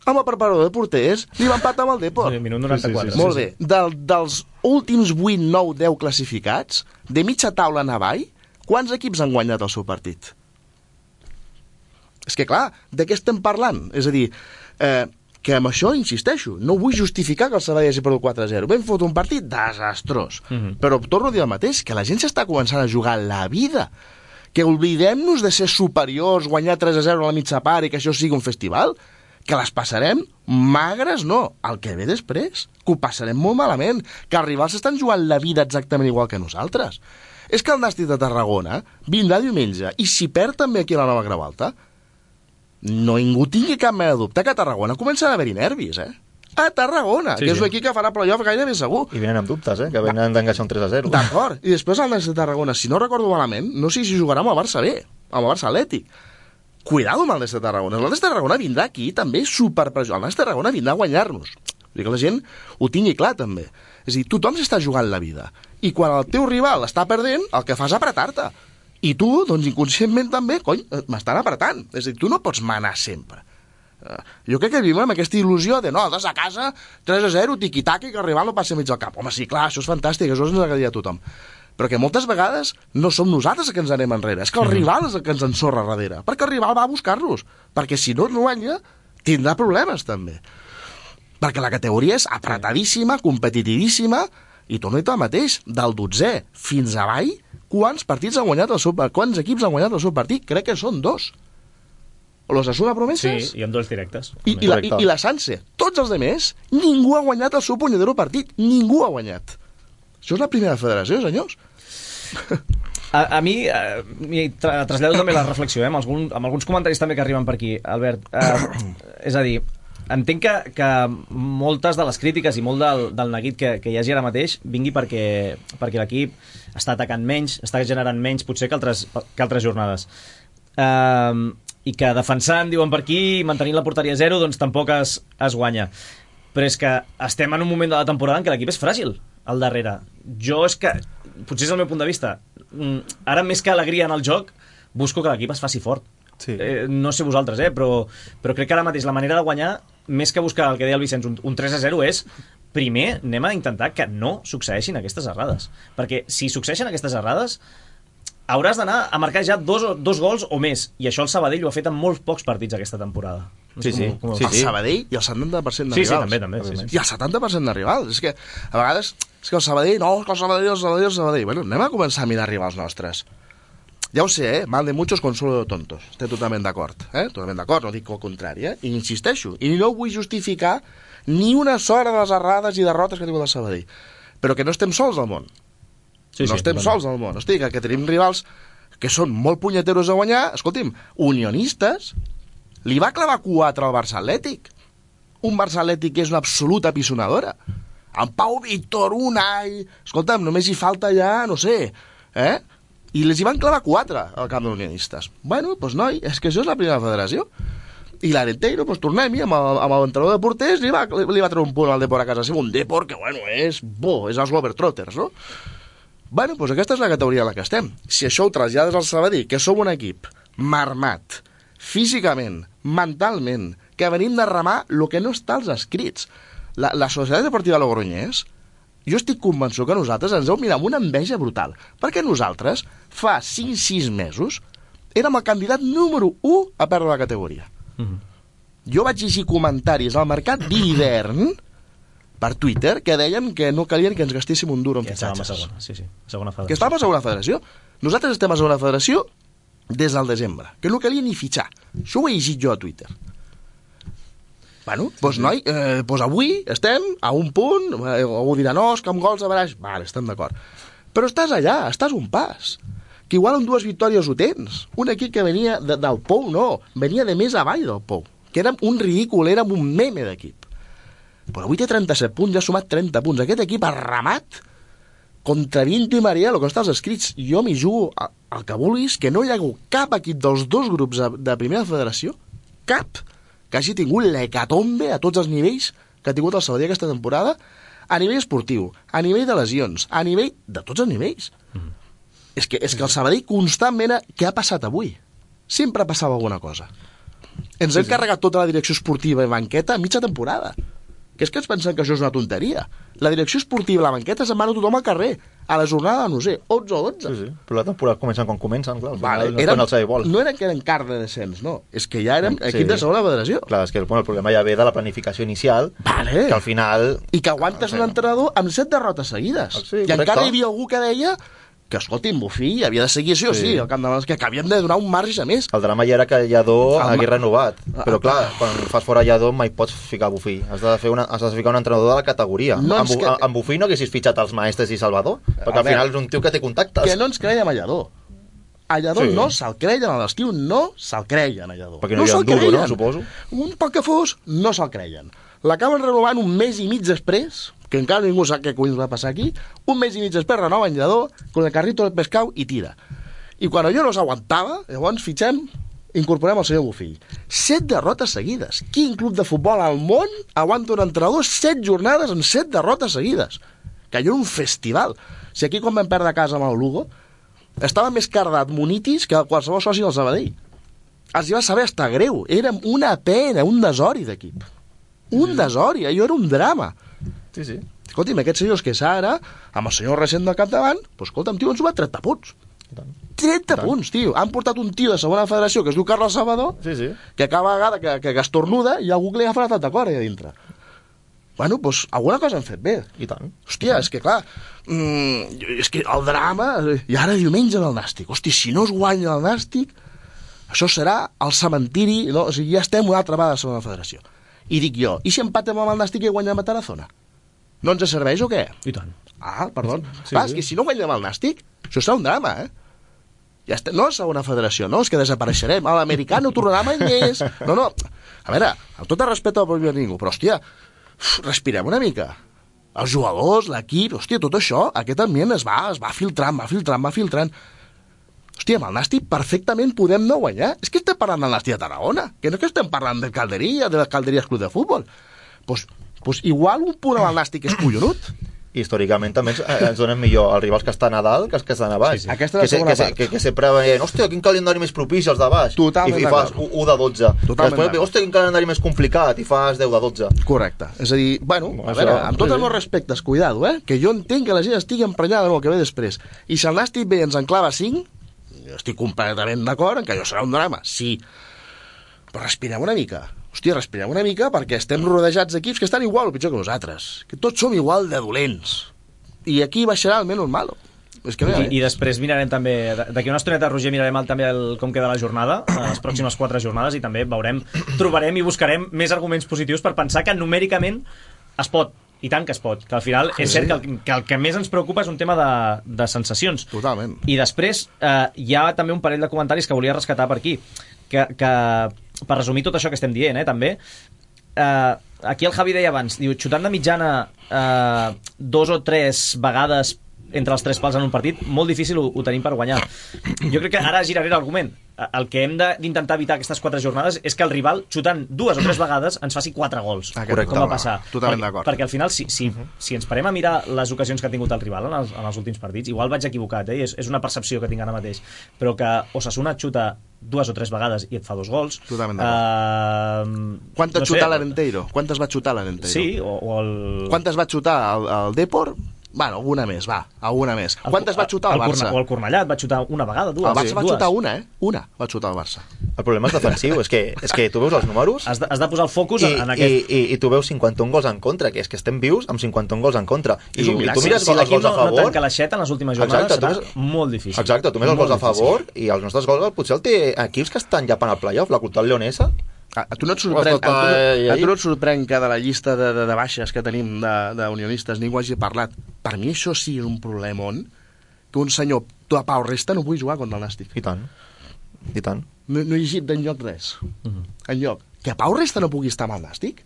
amb el preparador de porters, li va empatar amb el Depor. Minut 94. Molt bé. Dels últims 8, 9, 10 classificats, de mitja taula en avall, quants equips han guanyat el seu partit? És que, clar, de què estem parlant? És a dir, que amb això insisteixo, no vull justificar que el Sabadell hagi perdut 4-0. Vam fotre un partit desastrós. Però torno a dir el mateix, que la gent s'està començant a jugar la vida. Que oblidem-nos de ser superiors, guanyar 3-0 a la mitja part i que això sigui un festival. Que les passarem magres, no. El que ve després, que ho passarem molt malament, que els rivals estan jugant la vida exactament igual que nosaltres. És que el Nàstic de Tarragona vindrà diumenge, i si perd també aquí a la Nova Creu Alta, no ningú tingui cap mena de dubte que a Tarragona comencen a haver-hi nervis, A Tarragona, que és un equip que farà playoff gairebé segur. I venen amb dubtes, que venen d'engaixar un 3-0. D'acord, i després el Nàstic de Tarragona, si no recordo malament, no sé si jugarà amb el Barça B, amb el Barça Atlètic. Cuidado amb el Nàstic de Tarragona. El Nàstic de Tarragona vindrà aquí també superpressionat. El Nàstic de Tarragona vindrà a guanyar-nos. Vull dir que la gent ho tingui clar també. És a dir, tothom s'està jugant la vida. I quan el teu rival està perdent, el que fas és apretar-te. I tu, doncs inconscientment també, m'estan apretant. És a dir, tu no pots manar sempre. Jo crec que vivim amb aquesta il·lusió de no, des a casa, 3-0, tiqui-taca, i que el rival no passi mig al cap. Home, sí, clar, això és fantàstic, això ens agradaria a tothom. Però que moltes vegades no som nosaltres els que ens anem enrere, és que el rival és el que ens ensorra darrere, perquè el rival va a buscar-los, perquè si no guanya, tindrà problemes també. Perquè la categoria és apretadíssima, competitivíssima, i torno a dir el mateix, del 12è fins avall, quants equips han guanyat el seu partit? Crec que són 2. Los Asuna Promeses? Sí, i amb 2 directes. I la Sanse. Tots els demés, ningú ha guanyat el seu punyedero partit. Ningú ha guanyat. Això és la primera federació, senyors. A mi trasllado també la reflexió, amb alguns comentaris també que arriben per aquí, Albert. És a dir, entenc que moltes de les crítiques i molt del neguit que hi hagi ara mateix vingui perquè l'equip està atacant menys, està generant menys potser que altres jornades. I que defensant, diuen per aquí, i mantenint la porteria 0, doncs tampoc es guanya. Però és que estem en un moment de la temporada en què l'equip és fràgil al darrere. Jo és que, potser és el meu punt de vista, ara més que alegria en el joc, busco que l'equip es faci fort. Sí. No sé vosaltres, però crec que ara mateix la manera de guanyar, més que buscar el que deia el Vicenç, un 3-0, és primer anem a intentar que no succeeixin aquestes errades. Perquè si succeeixen aquestes errades, hauràs d'anar a marcar ja dos gols o més, i això el Sabadell ho ha fet en molts pocs partits aquesta temporada. El Sabadell i el 70% de rivals. Sí, també. Sí. I el 70% de rivals. És que a vegades el Sabadell, el Sabadell. Bueno, anem a començar a mirar rivals nostres. Ja ho sé, mal de muchos consuelo de tontos. Estic totalment d'acord, Totalment d'acord, no dic el contrari, I insisteixo. I no vull justificar ni una sola de les errades i derrotes que ha tingut el Sabadell. Però que no estem sols al món. No estem sols al món. Hosti, que tenim rivals que són molt punyeteros a guanyar. Escolti'm, Unionistes li va clavar 4 al Barça Atlètic. Un Barça Atlètic que és una absoluta pisonadora. En Pau Víctor, Unai... Escolta'm, només hi falta ja, no sé, I les hi van clavar 4 al camp d'Unionistes. Bueno, doncs noi, és que això és la primera federació. I l'Arenteiro, doncs tornem-hi, amb l'entrenador de porters, li va treure un punt al Depor a casa seva. Un Depor que, bueno, és els Globetrotters, no? Bueno, doncs aquesta és la categoria en la que estem. Si això ho trasllades al Sabadell, que som un equip marmat, físicament, mentalment, que venim de remar el que no està als escrits. La Societat Deportiva Logroñés, jo estic convençut que nosaltres ens heu mirat amb una enveja brutal, perquè nosaltres, fa 5-6 mesos, érem el candidat número 1 a perdre la categoria. Jo vaig llegir comentaris al mercat d'hivern per Twitter que deien que no calien que ens gastéssim un duro en fitxatges. Segona federació. Que estàvem a segona federació. Nosaltres estem a segona federació des del desembre, que no calia ni fitxar. Això ho he llegit jo a Twitter. Bueno, doncs noi, doncs avui estem a un punt, algú dirà, no, és que amb gols a baraix, vale, estem d'acord. Però estàs allà, estàs un pas. Que igual amb 2 victòries ho tens. Un equip que venia del Pou, no, venia de més avall del Pou, que érem un ridícul, érem un meme d'equip. Però avui té 37 punts, ja ha sumat 30 punts. Aquest equip ha ramat contra Vinto i Maria, el que està als escrits. Jo m'hi jugo al que vulguis, que no hi ha hagut cap equip dels 2 grups de primera federació, cap, que hagi tingut l'hecatombe a tots els nivells que ha tingut el Sabadell aquesta temporada, a nivell esportiu, a nivell de lesions, a nivell de tots els nivells. És que el Sabadell constantment... Què ha passat avui? Sempre passava alguna cosa. Ens hem carregat tota la direcció esportiva i banqueta a mitja temporada. Que és que ens pensen que això és una tonteria. La direcció esportiva i la banqueta se'n van a tothom al carrer, a la jornada, no sé, 11 o 12. Sí, però la temporada comencen quan comencen, clar. Vale, no era que eren car de descens, no. És que ja érem equip de segona federació. Clar, és que el problema ja ve de la planificació inicial, que al final... I que aguantes un entrenador amb 7 derrotes seguides. Sí, i encara hi havia algú que deia que, escolti, Bufí havia de seguir sí o sí, el camp de València, que havíem de donar un marge a més. El drama ja era que Lladó hagués renovat, però clar, quan fas fora Lladó mai pots ficar Bufí, has de ficar un entrenador de la categoria. Amb Bufí no haguessis fitxat els Maestres i Salvador, perquè al final és un tio que té contactes. Que no ens creiem a Lladó. A Lladó no se'l creien, a l'estiu no se'l creien a Lladó. Perquè no hi ha un duro, no, suposo? Un poc que fos, no se'l creien. L'acaben renovant un mes i mig després, que encara ningú sap què collons va passar aquí, un mes i mig després renoven Lladó, con el carrito del pescau i tira. I quan allò no s'aguantava, llavors incorporem el senyor Bufill. 7 derrotes seguides. Quin club de futbol al món aguanta un entrenador 7 jornades en 7 derrotes seguides? Que allò era un festival. Si aquí quan vam perdre a casa amb el Lugo, estava més cardat Munitis que qualsevol soci del Sabadell. Els hi va saber estar greu. Era una pena, un desori d'equip. Un desori, allò era un drama. Sí. Escolti'm, aquests senyors que ara, amb el senyor recent del capdavant, doncs escolta'm, tio, han sumat 30 punts. 30 punts, tio. Han portat un tio de segona federació que es diu Carlos Salvador, que cada vegada que estornuda hi ha algú que li agafa la tatacore allà dintre. Bueno, doncs alguna cosa han fet bé. I tant. Hòstia, és que clar, és que el drama... I ara diumenge el Nàstic. Hòstia, si no es guanya el Nàstic, això serà el cementiri... No? O sigui, ja estem una altra vegada a la segona federació. I dic jo, i si empatem amb el Nàstic i guanyem a Tarazona? No ens serveix o què? I tant. Ah, perdó. Clar, és que si no guanyem el Nàstic, això serà un drama, Ja està, no a segona federació, no, és que desapareixerem. A l'americà no tornarà mai més. No. A veure, amb tot el respecte al primer ningú, però, hòstia, respirem una mica. Els jugadors, l'equip, hòstia, tot això, aquest ambient es va filtrant. Hòstia, amb el Nàstic perfectament podem no guanyar. És que estem parlant del Nàstic de Tarragona, que no és que estem parlant del Calderia, de les Calderies Club de Futbol. Pues igual un punt amb el Nàstic és collonut. Històricament també ens donen millor els rivals que estan a dalt que els que estan a baix. Aquesta és la segona part. Que sempre veien, hòstia, quin calendari més propici els de baix. Totalment I fas 1 de 12. Després, hòstia, quin calendari més complicat, i fas 10 de 12. Correcte. És a dir, bueno, a veure, amb tots els meus respectes, cuidado, que jo entenc que la gent estigui emprenyada amb el que ve després. I si el Nàstic ve i ens enclava 5, jo estic completament d'acord en que allò serà un drama, sí. Però respirem una mica. Hòstia, respirem una mica perquè estem rodejats d'equips que estan igual o pitjor que nosaltres. Que tots som igual de dolents. I aquí baixarà el menys malo. És que I després mirarem també, d'aquí una estoneta, Roger, mirarem també com queda la jornada, les pròximes 4 jornades, i també trobarem i buscarem més arguments positius per pensar que numèricament es pot. I tant que es pot, que al final és cert que el que més ens preocupa és un tema de sensacions. Totalment. I després hi ha també un parell de comentaris que volia rescatar per aquí, que per resumir tot això que estem dient, també, aquí el Javi deia abans, diu, xutant de mitjana 2 o 3 vegades entre els 3 pals en un partit, molt difícil ho tenim per guanyar. Jo crec que ara giraré l'argument. el que hem d'intentar evitar aquestes 4 jornades és que el rival, xutant 2 o 3 vegades, ens faci 4 gols. Correcte, com va passar. Totalment d'acord. Perquè al final, si ens parem a mirar les ocasions que ha tingut el rival en els últims partits, igual vaig equivocat, és una percepció que tinc ara mateix, però que Osasuna et xuta 2 o 3 vegades i et fa 2 gols. Totalment d'acord. Quantes xutar l'Arenteiro? Quantes va xutar l'Arenteiro? Sí, o el... Quantes va xutar el Depor? Bueno, alguna més. Quantes va xutar el Barça? O el Cornellà va xutar una vegada, 2. El Barça va xutar una, Una va xutar el Barça. El problema és defensiu, és que tu veus els números... Has de posar el focus en aquest... I tu veus 51 gols en contra, que és que estem vius amb 51 gols en contra. I tu mires si els gols a favor... no tanca l'aixeta en les últimes jornades, serà molt difícil. Exacte, tu mires els gols a favor i els nostres gols potser el té equips que estan llapant al playoff, la Cultural Leonesa... A tu no et sorprèn que de la llista de baixes que tenim d'unionistes ningú hagi parlat? Per mi això sí és un problemon que un senyor de Pau Resta no pugui jugar contra el Nàstic. I tant. No he llegit d'enlloc res. Enlloc. Que Pau Resta no pugui estar amb el Nàstic?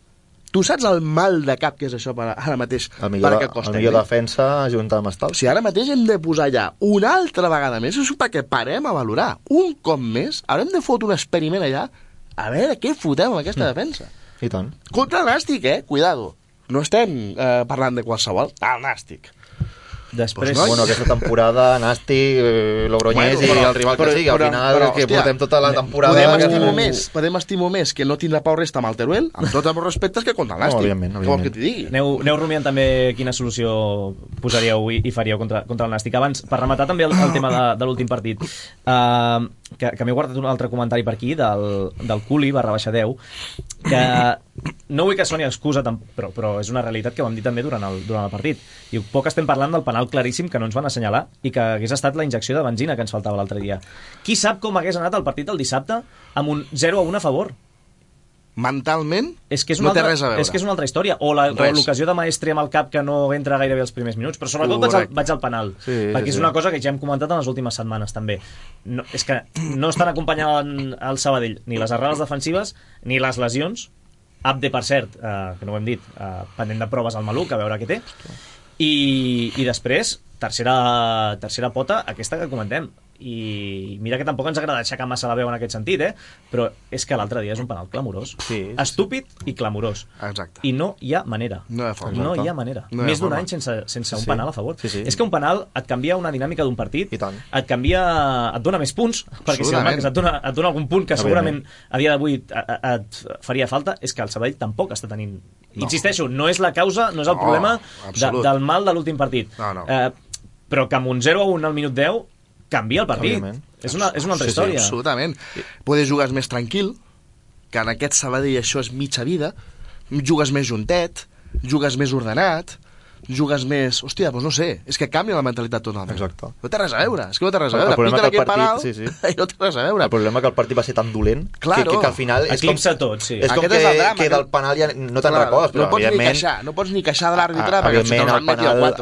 Tu saps el mal de cap que és això ara mateix? El millor defensa junta amb Estal. Si ara mateix hem de posar ja una altra vegada més, és perquè parem a valorar un cop més, haurem de fotre un experiment allà a veure què fotem amb aquesta defensa. I tant. Contra el Nàstic, cuidado. No estem parlant de qualsevol, el Nàstic. Després... Bueno, aquesta temporada, Nàstic, Logroñés i el rival que sigui, al final que portem tota la temporada... Podem estimar més que no tindrà Pau Resta amb el Teruel, amb tots els respectes, que contra el Nàstic. Òbviament. Com que t'hi digui. Aneu rumiant també quina solució posaríeu i faríeu contra el Nàstic. Abans, per rematar també el tema de l'últim partit, que m'he guardat un altre comentari per aquí, del Culi, /10, que no vull que soni excusa, però és una realitat que ho hem dit també durant el partit. I poc estem parlant del penal claríssim que no ens van assenyalar i que hagués estat la injecció de benzina que ens faltava l'altre dia. Qui sap com hagués anat el partit el dissabte amb un 0-1 a favor? Mentalment no té res a veure. És que és una altra història. O l'ocasió de Maestri amb el cap que no entra gairebé els primers minuts. Però sobretot vaig al penal. Perquè és una cosa que ja hem comentat en les últimes setmanes també. És que no estan acompanyant el Sabadell ni les errades defensives ni les lesions. Abde, per cert, que no ho hem dit, pendent de proves al maluc, a veure què té. I després, tercera pota, aquesta que comentem. I mira que tampoc ens agrada aixecar massa la veu en aquest sentit, però és que l'altre dia és un penal clamorós, estúpid i clamorós. Exacte. I no hi ha manera. No hi ha manera. Més d'un any sense un penal a favor. És que un penal et canvia una dinàmica d'un partit, et dona més punts, perquè si el marques et dona algun punt que segurament a dia d'avui et faria falta. És que el Sabadell tampoc està tenint... Insisteixo, no és la causa, no és el problema del mal de l'últim partit. Però que amb un 0-1 al minut 10 canvia el partit. És una altra història. Absolutament. Podes jugar més tranquil, que en aquest Sabadell això és mitja vida, jugues més juntet, jugues més ordenat, jugues més... Hòstia, doncs no sé, és que canvia la mentalitat totalment. Exacte. No té res a veure, és que no té res a veure. Pita aquest penal i no té res a veure. El problema és que el partit va ser tan dolent que al final... Eclipsa tot, sí. És com que del penal ja no te'n recordes, però no pots ni queixar de l'àrbitre perquè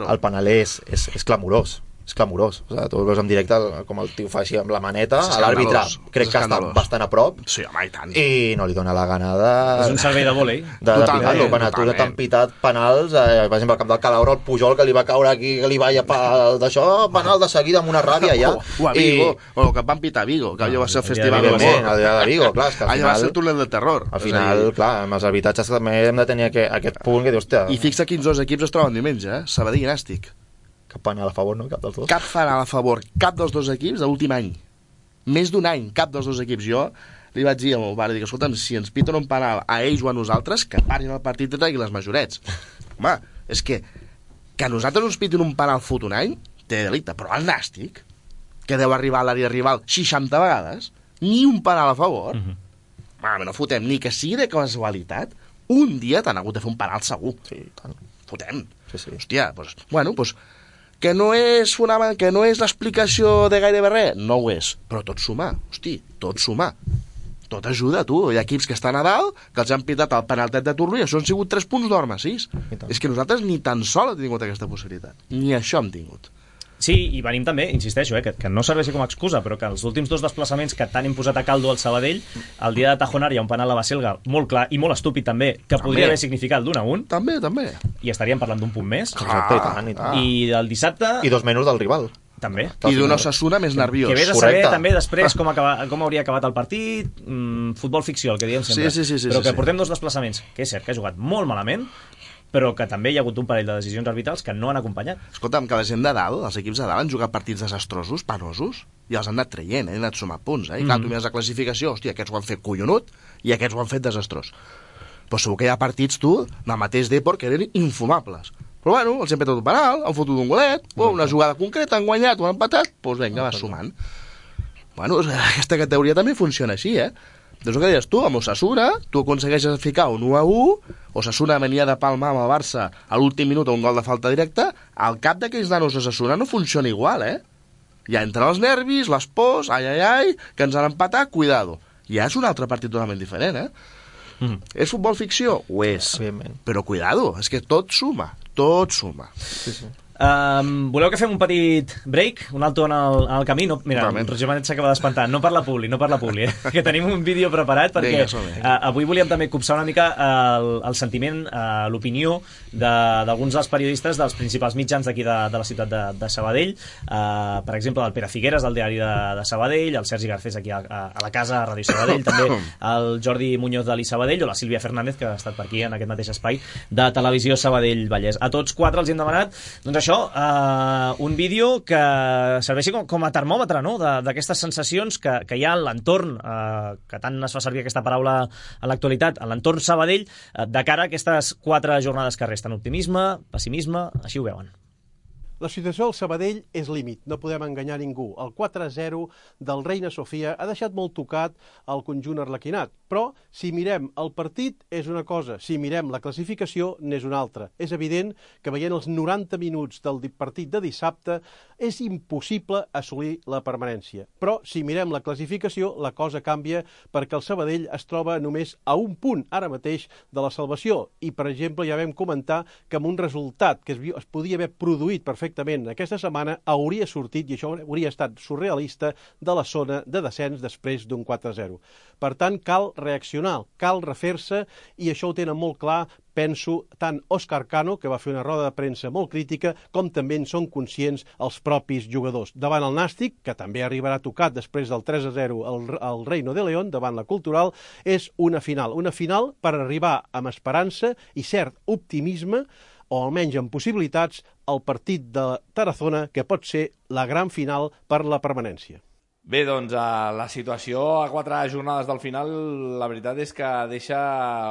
el penal és clamorós. És clamorós. O sigui, tu veus en directe com el tio fa així amb la maneta, l'àrbitre crec que està bastant a prop i no li dona la gana és un servei de vòlei de pitar-lo. Quan tu t'han pitat penals, per exemple al camp del Calahorra, el Pujol que li va caure aquí, que li va llepar d'això, penal de seguida amb una ràbia ja. O a Vigo, o que van pitar a Vigo, que allò va ser el festival de Vigo, clar, és que allò va ser el túnel del terror. Al final, clar, amb els arbitratges també hem de tenir aquest punt que dius, hòstia... I fixa quins dos equips es troben diumenge, Sabadell i Nàstic. Cap penal a favor, no? Cap dels dos. Cap penal a favor, cap dels dos equips de l'últim any. Més d'un any, cap dels dos equips. Jo li vaig dir al meu pare, dic, escolta'm, si ens piten un penal a ells o a nosaltres, que parin el partit i treguin les majorets. Home, és que a nosaltres ens piten un penal fot un any, té delicte, però al Nàstic, que deu arribar a l'àrea rival 60 vegades, ni un penal a favor, no fotem ni que sigui de casualitat, un dia t'han hagut de fer un penal segur. Sí, tant. Fotem. Hòstia, doncs, bueno, doncs, que no és l'explicació de gairebé res, no ho és, però tot suma, tot suma, tot ajuda, tu. Hi ha equips que estan a dalt, que els han pitat el penaltet de turno i això han sigut 3 punts d'or massís. És que nosaltres ni tan sol hem tingut aquesta possibilitat, ni això hem tingut. Sí, i venim també, insisteixo, que no serveixi com a excusa, però que els últims 2 desplaçaments que tant hem posat a caldo al Sabadell, el dia de Tajonar hi ha un penal a Baselga molt clar i molt estúpid també, que podria haver significat l'1-1. També. I estaríem parlant d'un punt més. Clar, i tant. I del dissabte... I 2 menys del rival. També. I d'un Osasuna més nerviós. Que vés a saber també després com hauria acabat el partit, futbol ficció, el que diem sempre. Sí, però que portem 2 desplaçaments, que és cert que ha jugat molt malament, però que també hi ha hagut un parell de decisions arbitrals que no han acompanyat. Escolta'm, que la gent de dalt, els equips de dalt han jugat partits desastrosos, penosos, i els han anat traient, han anat sumant punts. I clar, tu mires la classificació, hòstia, aquests ho han fet collonut i aquests ho han fet desastrós. Però segur que hi ha partits, tu, del mateix Depor, que eren infumables. Però bueno, els han petat un penal, han fotut un golet, una jugada concreta, han guanyat o han empatat, doncs vinga, va sumant. Bueno, aquesta categoria també funciona així, Doncs el que deies tu, amb Osasuna, tu aconsegueixes ficar un 1-1, Osasuna venia de palmar amb el Barça a l'últim minut a un gol de falta directa, al cap d'aquells nanos Osasuna no funciona igual, Ja entren els nervis, les pors, ai, que ens han empatat, cuidado. Ja és un altre partit totalment diferent, És futbol ficció? Ho és. Però cuidado, és que tot suma. Sí. Voleu que fem un petit break, un alto en el camí? No, mira, en Roger Manet s'acaba d'espantar. No per la publi, que tenim un vídeo preparat perquè avui volíem també copsar una mica el sentiment, l'opinió d'alguns dels periodistes dels principals mitjans d'aquí de la ciutat de Sabadell, per exemple el Pere Figueres del diari de Sabadell, el Sergi Garcés aquí a la casa, a Ràdio Sabadell, també el Jordi Muñoz de l'I Sabadell o la Sílvia Fernández, que ha estat per aquí en aquest mateix espai de Televisió Sabadell Vallès. A tots 4 els hem demanat, doncs això, un vídeo que serveixi com a termòmetre, no?, d'aquestes sensacions que hi ha en l'entorn, que tant es fa servir aquesta paraula en l'actualitat, en l'entorn Sabadell, de cara a aquestes 4 jornades que resten. Optimisme, pessimisme, així ho veuen. La situació al Sabadell és límit, no podem enganyar ningú. El 4-0 del Reina Sofia ha deixat molt tocat el conjunt arlequinat, però si mirem el partit és una cosa, si mirem la classificació n'és una altra. És evident que veient els 90 minuts del partit de dissabte és impossible assolir la permanència. Però si mirem la classificació la cosa canvia perquè el Sabadell es troba només a un punt ara mateix de la salvació i, per exemple, ja vam comentar que amb un resultat que es podia haver produït perfectament aquesta setmana hauria sortit, i això hauria estat surrealista, de la zona de descens després d'un 4-0. Per tant, cal reaccionar, cal refer-se, i això ho tenen molt clar, penso, tant Òscar Cano, que va fer una roda de premsa molt crítica, com també en són conscients els propis jugadors. Davant el Nàstic, que també arribarà tocat després del 3-0 al Reino de León, davant la Cultural, és una final per arribar amb esperança i cert optimisme, o almenys amb possibilitats, al partit de Tarazona, que pot ser la gran final per la permanència. Bé, doncs la situació a 4 jornades del final, la veritat és que deixa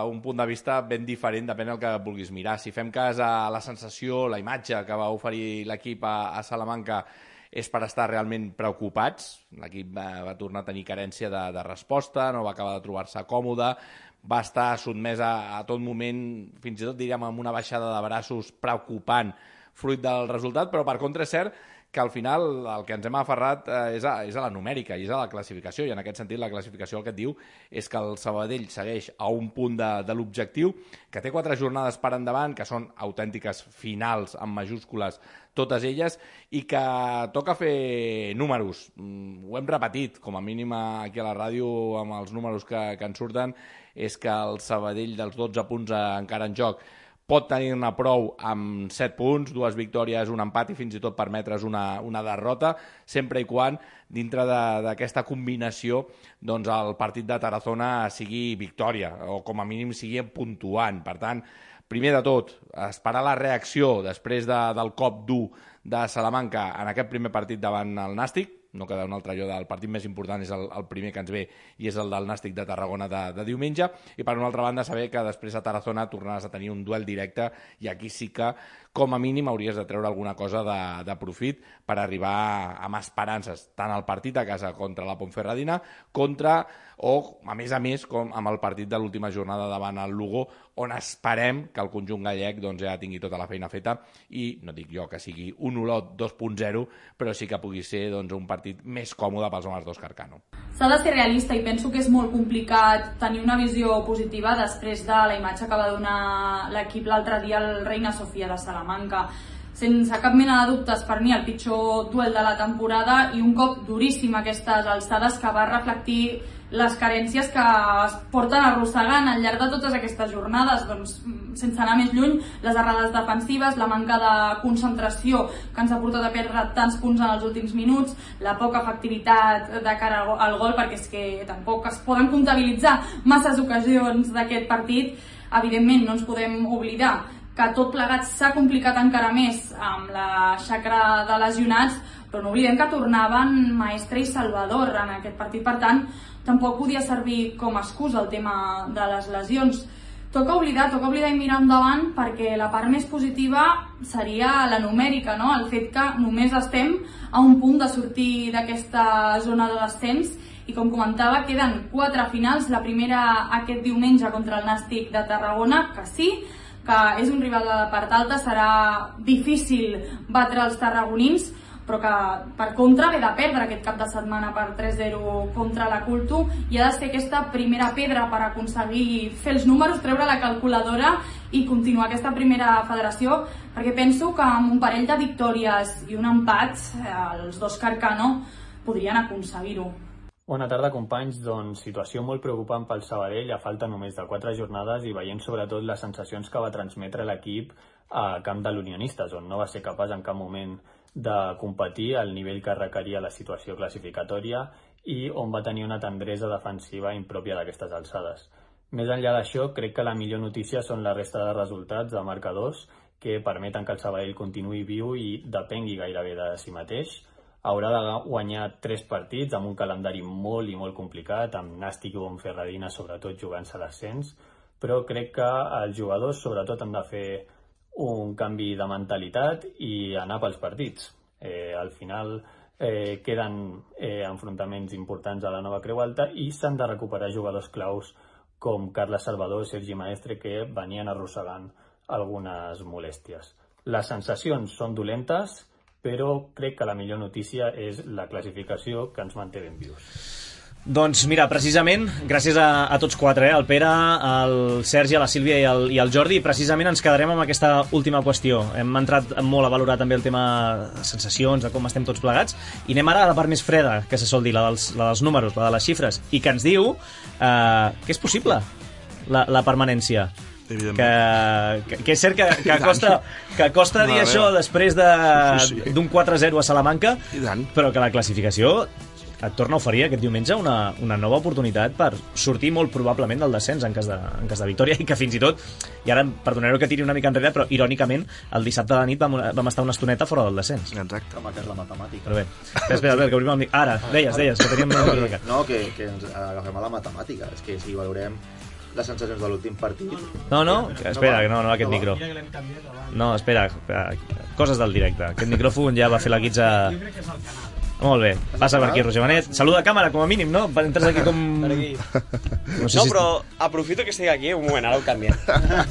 un punt de vista ben diferent, depèn del que vulguis mirar. Si fem cas a la sensació, la imatge que va oferir l'equip a Salamanca, és per estar realment preocupats. L'equip va tornar a tenir carència de resposta, no va acabar de trobar-se còmode, va estar sotmès a tot moment, fins i tot diríem amb una baixada de braços preocupant fruit del resultat, però per contra és cert que al final el que ens hem aferrat és a la numèrica i és a la classificació, i en aquest sentit la classificació el que et diu és que el Sabadell segueix a un punt de l'objectiu, que té 4 jornades per endavant, que són autèntiques finals amb majúscules totes elles, i que toca fer números. Ho hem repetit, com a mínim aquí a la ràdio, amb els números que ens surten, és que el Sabadell dels 12 punts encara en joc pot tenir-ne prou amb 7 punts, 2 victòries, un empat i fins i tot permetre's una derrota, sempre i quan dintre d'aquesta combinació doncs el partit de Tarazona sigui victòria o com a mínim sigui puntuant. Per tant, primer de tot, esperar la reacció després del cop dur de Salamanca en aquest primer partit davant el Nàstic. No queda un altre allò del partit més important, és el primer que ens ve i és el del Nàstic de Tarragona de diumenge, i per una altra banda saber que després a Tarazona tornaràs a tenir un duel directe i aquí sí que com a mínim hauries de treure alguna cosa de profit per arribar amb esperances tant al partit a casa contra la Ponferradina o a més com amb el partit de l'última jornada davant el Lugo, on esperem que el conjunt gallec doncs, ja tingui tota la feina feta i no dic jo que sigui un Olot 2.0, però sí que pugui ser doncs, un partit més còmode pels homes d'Òscar Cano. S'ha de ser realista i penso que és molt complicat tenir una visió positiva després de la imatge que va donar l'equip l'altre dia al Reina Sofia de Salamanca. Sense cap mena de dubtes, per mi el pitjor duel de la temporada i un cop duríssim a aquestes alçades que va reflectir les carències que es porten arrossegant al llarg de totes aquestes jornades, doncs, sense anar més lluny, les errades defensives, la manca de concentració que ens ha portat a perdre tants punts en els últims minuts, la poca efectivitat de cara al gol, perquè és que tampoc es poden comptabilitzar masses ocasions d'aquest partit. Evidentment, no ens podem oblidar que tot plegat s'ha complicat encara més amb la xacra de lesionats, però no oblidem que tornaven Maestre i Salvador en aquest partit, per tant, tampoc podia servir com a excusa el tema de les lesions. Toca oblidar i mirar endavant, perquè la part més positiva seria la numèrica, no? El fet que només estem a un punt de sortir d'aquesta zona de descens i, com comentava, queden 4 finals, la primera aquest diumenge contra el Nàstic de Tarragona, que sí, que és un rival de part alta, serà difícil batre els tarragonins, però que per contra ve de perdre aquest cap de setmana per 3-0 contra la Culto, i ha de ser aquesta primera pedra per aconseguir fer els números, treure la calculadora i continuar aquesta primera federació, perquè penso que amb un parell de victòries i un empat, els dos Carcano podrien aconseguir-ho. Bona tarda, companys. Doncs situació molt preocupant pel Sabadell, a falta només de 4 jornades, i veient sobretot les sensacions que va transmetre l'equip a camp de l'Unionistes, on no va ser capaç en cap moment de competir al nivell que requeria la situació classificatòria i on va tenir una tendresa defensiva impròpia d'aquestes alçades. Més enllà d'això, crec que la millor notícia són la resta de resultats de marcadors que permeten que el Sabadell continuï viu i depengui gairebé de si mateix. Haurà de guanyar 3 partits amb un calendari molt i molt complicat, amb Nàstic i Bonferradina sobretot jugant-se l'ascens, però crec que els jugadors sobretot han de fer un canvi de mentalitat i anar pels partits. Al final queden enfrontaments importants a la nova Creu Alta i s'han de recuperar jugadors claus com Carles Salvador i Sergi Maestre, que venien arrossegant algunes molèsties. Les sensacions són dolentes, però crec que la millor notícia és la classificació, que ens manté ben vius. Doncs mira, precisament, gràcies a tots 4, al Pere, al Sergi, a la Sílvia i al Jordi, precisament ens quedarem amb aquesta última qüestió. Hem entrat molt a valorar també el tema de sensacions, de com estem tots plegats, i anem ara a la part més freda, que se sol dir, la dels números, la de les xifres, i que ens diu que és possible la permanència. Que és cert que costa dir això després d'un 4-0 a Salamanca, però que la classificació et torna a oferir aquest diumenge una nova oportunitat per sortir molt probablement del descens en cas de victòria, i que fins i tot, i ara perdonareu que tiri una mica enrere, però irònicament el dissabte a la nit vam estar una estoneta fora del descens. Exacte. Home, que és la matemàtica. Però bé, espera, Albert, que obrim el mic. Ara, deies que teníem una mica. No, que ens agafem a la matemàtica. És que si valorem les sensacions de l'últim partit... No, espera, no, aquest micro. No, espera, coses del directe. Aquest micròfon ja va fer la guitza... Molt bé, passa per aquí, Roger Benet. Saluda a càmera, com a mínim, no? Entres aquí com... Per aquí. No, però aprofito que estic aquí, un moment, ara ho canviem.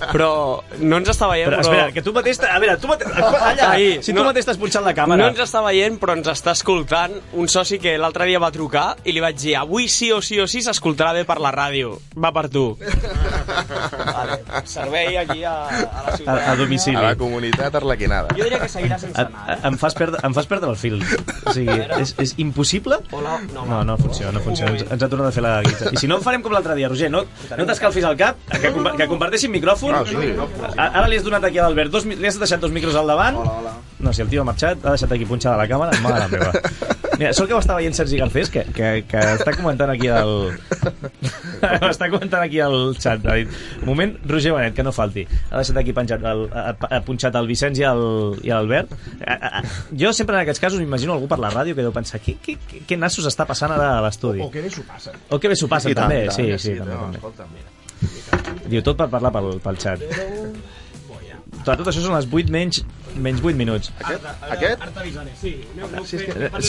Però no ens està veient, però... Espera, que tu mateix... A veure, tu mateix... Allà, si tu mateix t'has punxat la càmera... No ens està veient, però ens està escoltant un soci que l'altre dia va trucar i li vaig dir, avui sí o sí s'escoltarà bé per la ràdio. Va per tu. Vale. Servei aquí a la ciutat. A domicili. A la comunitat arlequinada. Jo diria que seguirà sense anar. Em fas perdre el fil. O sigui... És impossible? No funciona. Ens ha tornat a fer la guita. I si no, farem com l'altre dia, Roger. No t'escalfis al cap, que comparteixin micròfon. Ara li has donat aquí a l'Albert, li has deixat 2 micros al davant. No, si el tio ha marxat, ha deixat aquí punxada la càmera. Mare meva. Mira, sort que ho està veient Sergi Garcés, que està comentant aquí al xat. Ha dit, un moment, Roger Benet, que no falti. Ha deixat aquí punxat el Vicenç i l'Albert. Jo sempre en aquests casos m'imagino algú per la ràdio que deu pensar què nassos està passant ara a l'estudi. O que bé s'ho passen. O que bé s'ho passen, també. Sí, també. Diu tot per parlar pel xat. Tot això són les 8 menys 8 minuts. Aquest? Sí,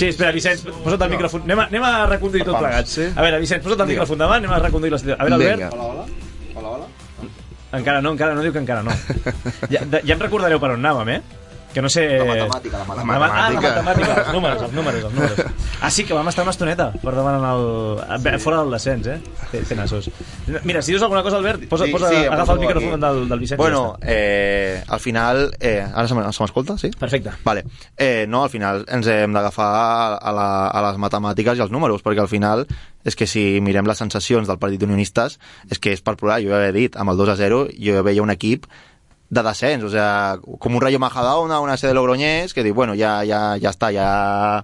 espera, Vicenç, posa't el micròfon. Anem a reconduir tot plegat. A veure, Vicenç, posa't el micròfon davant, anem a reconduir la situació. A veure, Albert. Hola. Encara no diu que encara no. Ja em recordareu per on anàvem, Que no sé... La matemàtica. La matemàtica, els números. Ah, sí, que vam estar una estoneta per davant fora del descens, Té nassos. Mira, si dius alguna cosa, Albert, agafa el micròfon del Vicenç. Bueno, al final... Ara se m'escolta, sí? Perfecte. Vale. No, al final ens hem d'agafar a les matemàtiques i als números, perquè al final és que si mirem les sensacions del partit d'unionistes és que és per plorar. Jo ja he dit, amb el 2-0 jo veia un equip de descens, o sea, com un Rayo Majadahonda, una sede de Logroñés, que diu, bueno, ja està, ja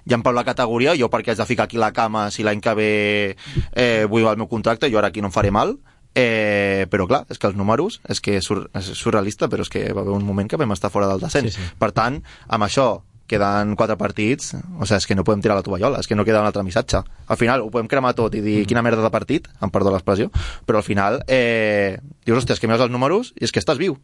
em plau la categoria, jo perquè haig de ficar aquí la cama si l'any que ve vull el meu contracte, jo ara aquí no em faré mal, però clar, és que els números és que és surrealista, però és que va haver un moment que vam estar fora del descens. Sí. Per tant, amb això queden 4 partits, o sigui, és que no podem tirar la tovallola, és que no queda un altre missatge. Al final ho podem cremar tot i dir quina merda de partit, em perdó l'expressió, però al final dius, hòstia, és que mires els números i és que estàs viu.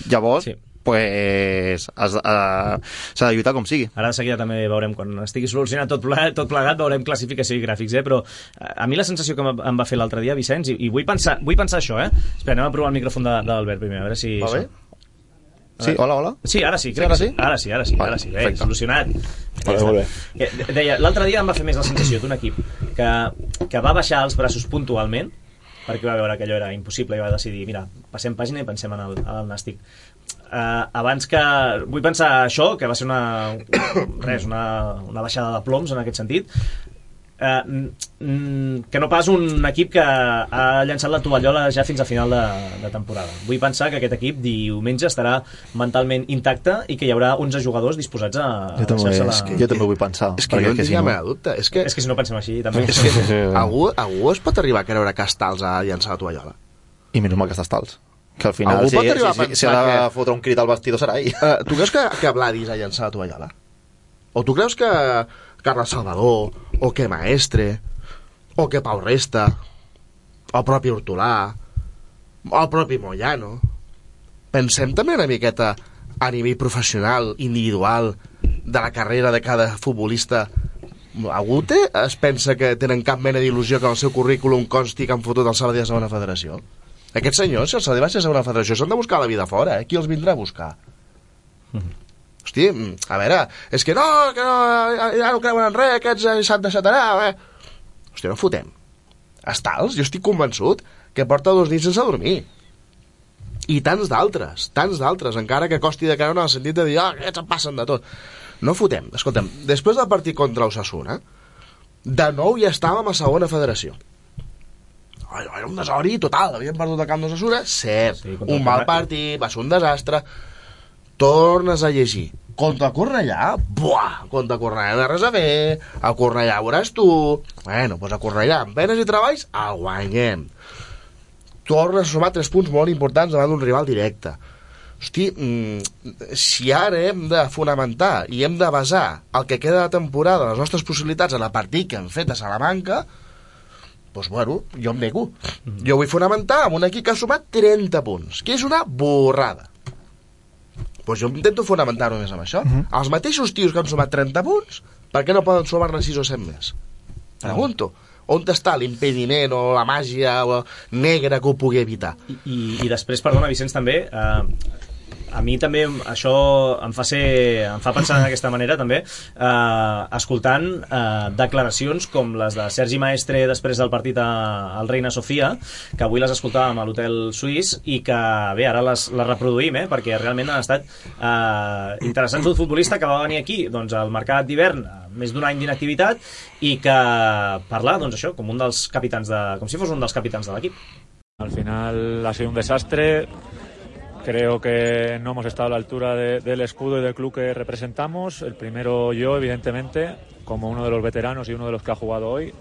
Llavors, pues s'ha de lluitar com sigui. Ara de seguida també veurem, quan estigui solucionat tot plegat, veurem classificació i gràfics, però a mi la sensació que em va fer l'altre dia, Vicenç, i vull pensar això, Espera, anem a provar el micròfon de l'Albert primer, a veure si... Va bé? Sí, hola? Sí, ara sí, crec que sí. Ara sí, bé, solucionat. Molt bé. Deia, l'altre dia em va fer més la sensació d'un equip que va baixar els braços puntualment, perquè va veure que allò era impossible i va decidir, mira, passem pàgina i pensem en el nàstic. Abans que... Vull pensar això, que va ser una baixada de ploms en aquest sentit, que no pas un equip que ha llançat la tovallola ja fins a final de temporada. Vull pensar que aquest equip diumenge estarà mentalment intacte i que hi haurà 11 jugadors disposats a deixar-se la... Jo també vull pensar. És que jo en tinc la meva dubte. És que si no pensem així també... Algú es pot arribar a creure que Stals ha llançat la tovallola? I menys mal que està Stals. Que al final, si ha de fotre un crit al vestidor serà ell. Tu creus que Vladis ha llançat la tovallola? O tu creus que Carles Salvador, o que Maestre, o que Pau Resta, o el propi Hortolà, o el propi Moyano? Pensem també una miqueta a nivell professional, individual, de la carrera de cada futbolista. Algú es pensa que tenen cap mena d'il·lusió que en el seu currículum consti que han fotut el Sabadell a segona federació? Aquests senyors, si el Sabadell va ser a segona federació, s'han de buscar la vida fora, Qui els vindrà a buscar? Hosti, a veure, és que no, ja no creuen en res, aquests s'han deixat anar, Hosti, no fotem. Stals, jo estic convençut que porta 2 nits sense dormir. I tants d'altres, encara que costi de creure en el sentit de dir, aquests em passen de tot. No fotem. Escolta'm, després del partit contra Osasuna, de nou ja estàvem a segona federació. Era un desori total, havíem perdut el camp d'Osasuna, cert, un mal partit, va ser un desastre. Tornes a llegir contra el Cornellà, contra el Cornellà no res a fer, el Cornellà veuràs tu, bueno, doncs el Cornellà amb penes i treballs el guanyem, tornes a sumar 3 punts molt importants davant d'un rival directe. Hosti, si ara hem de fonamentar i hem de basar el que queda de temporada, les nostres possibilitats en el partit que hem fet a Salamanca, doncs bueno, jo em nego. Jo vull fonamentar amb un equip que ha sumat 30 punts, que és una borrada. Doncs jo intento fonamentar només amb això. Els mateixos tios que han sumat 30 punts, per què no poden sumar-ne 6 o 7 més? Pregunto. On està l'impediment o la màgia negra que ho pugui evitar? I després, perdona, Vicenç, també... A mi també això em fa pensar d'aquesta manera també, escoltant declaracions com les de Sergi Maestre després del partit al Reina Sofia, que avui les escoltàvem a l'Hotel Suís i que bé, ara les reproduïm, perquè realment han estat interessants. Un futbolista que va venir aquí doncs, al mercat d'hivern, més d'un any d'inactivitat, i que parla doncs, això, com si fos un dels capitans de l'equip. Al final ha sido un desastre. Creo que no hemos estado a la altura del escudo y del club que representamos. El primero yo, evidentemente, como uno de los veteranos y uno de los que ha jugado hoy.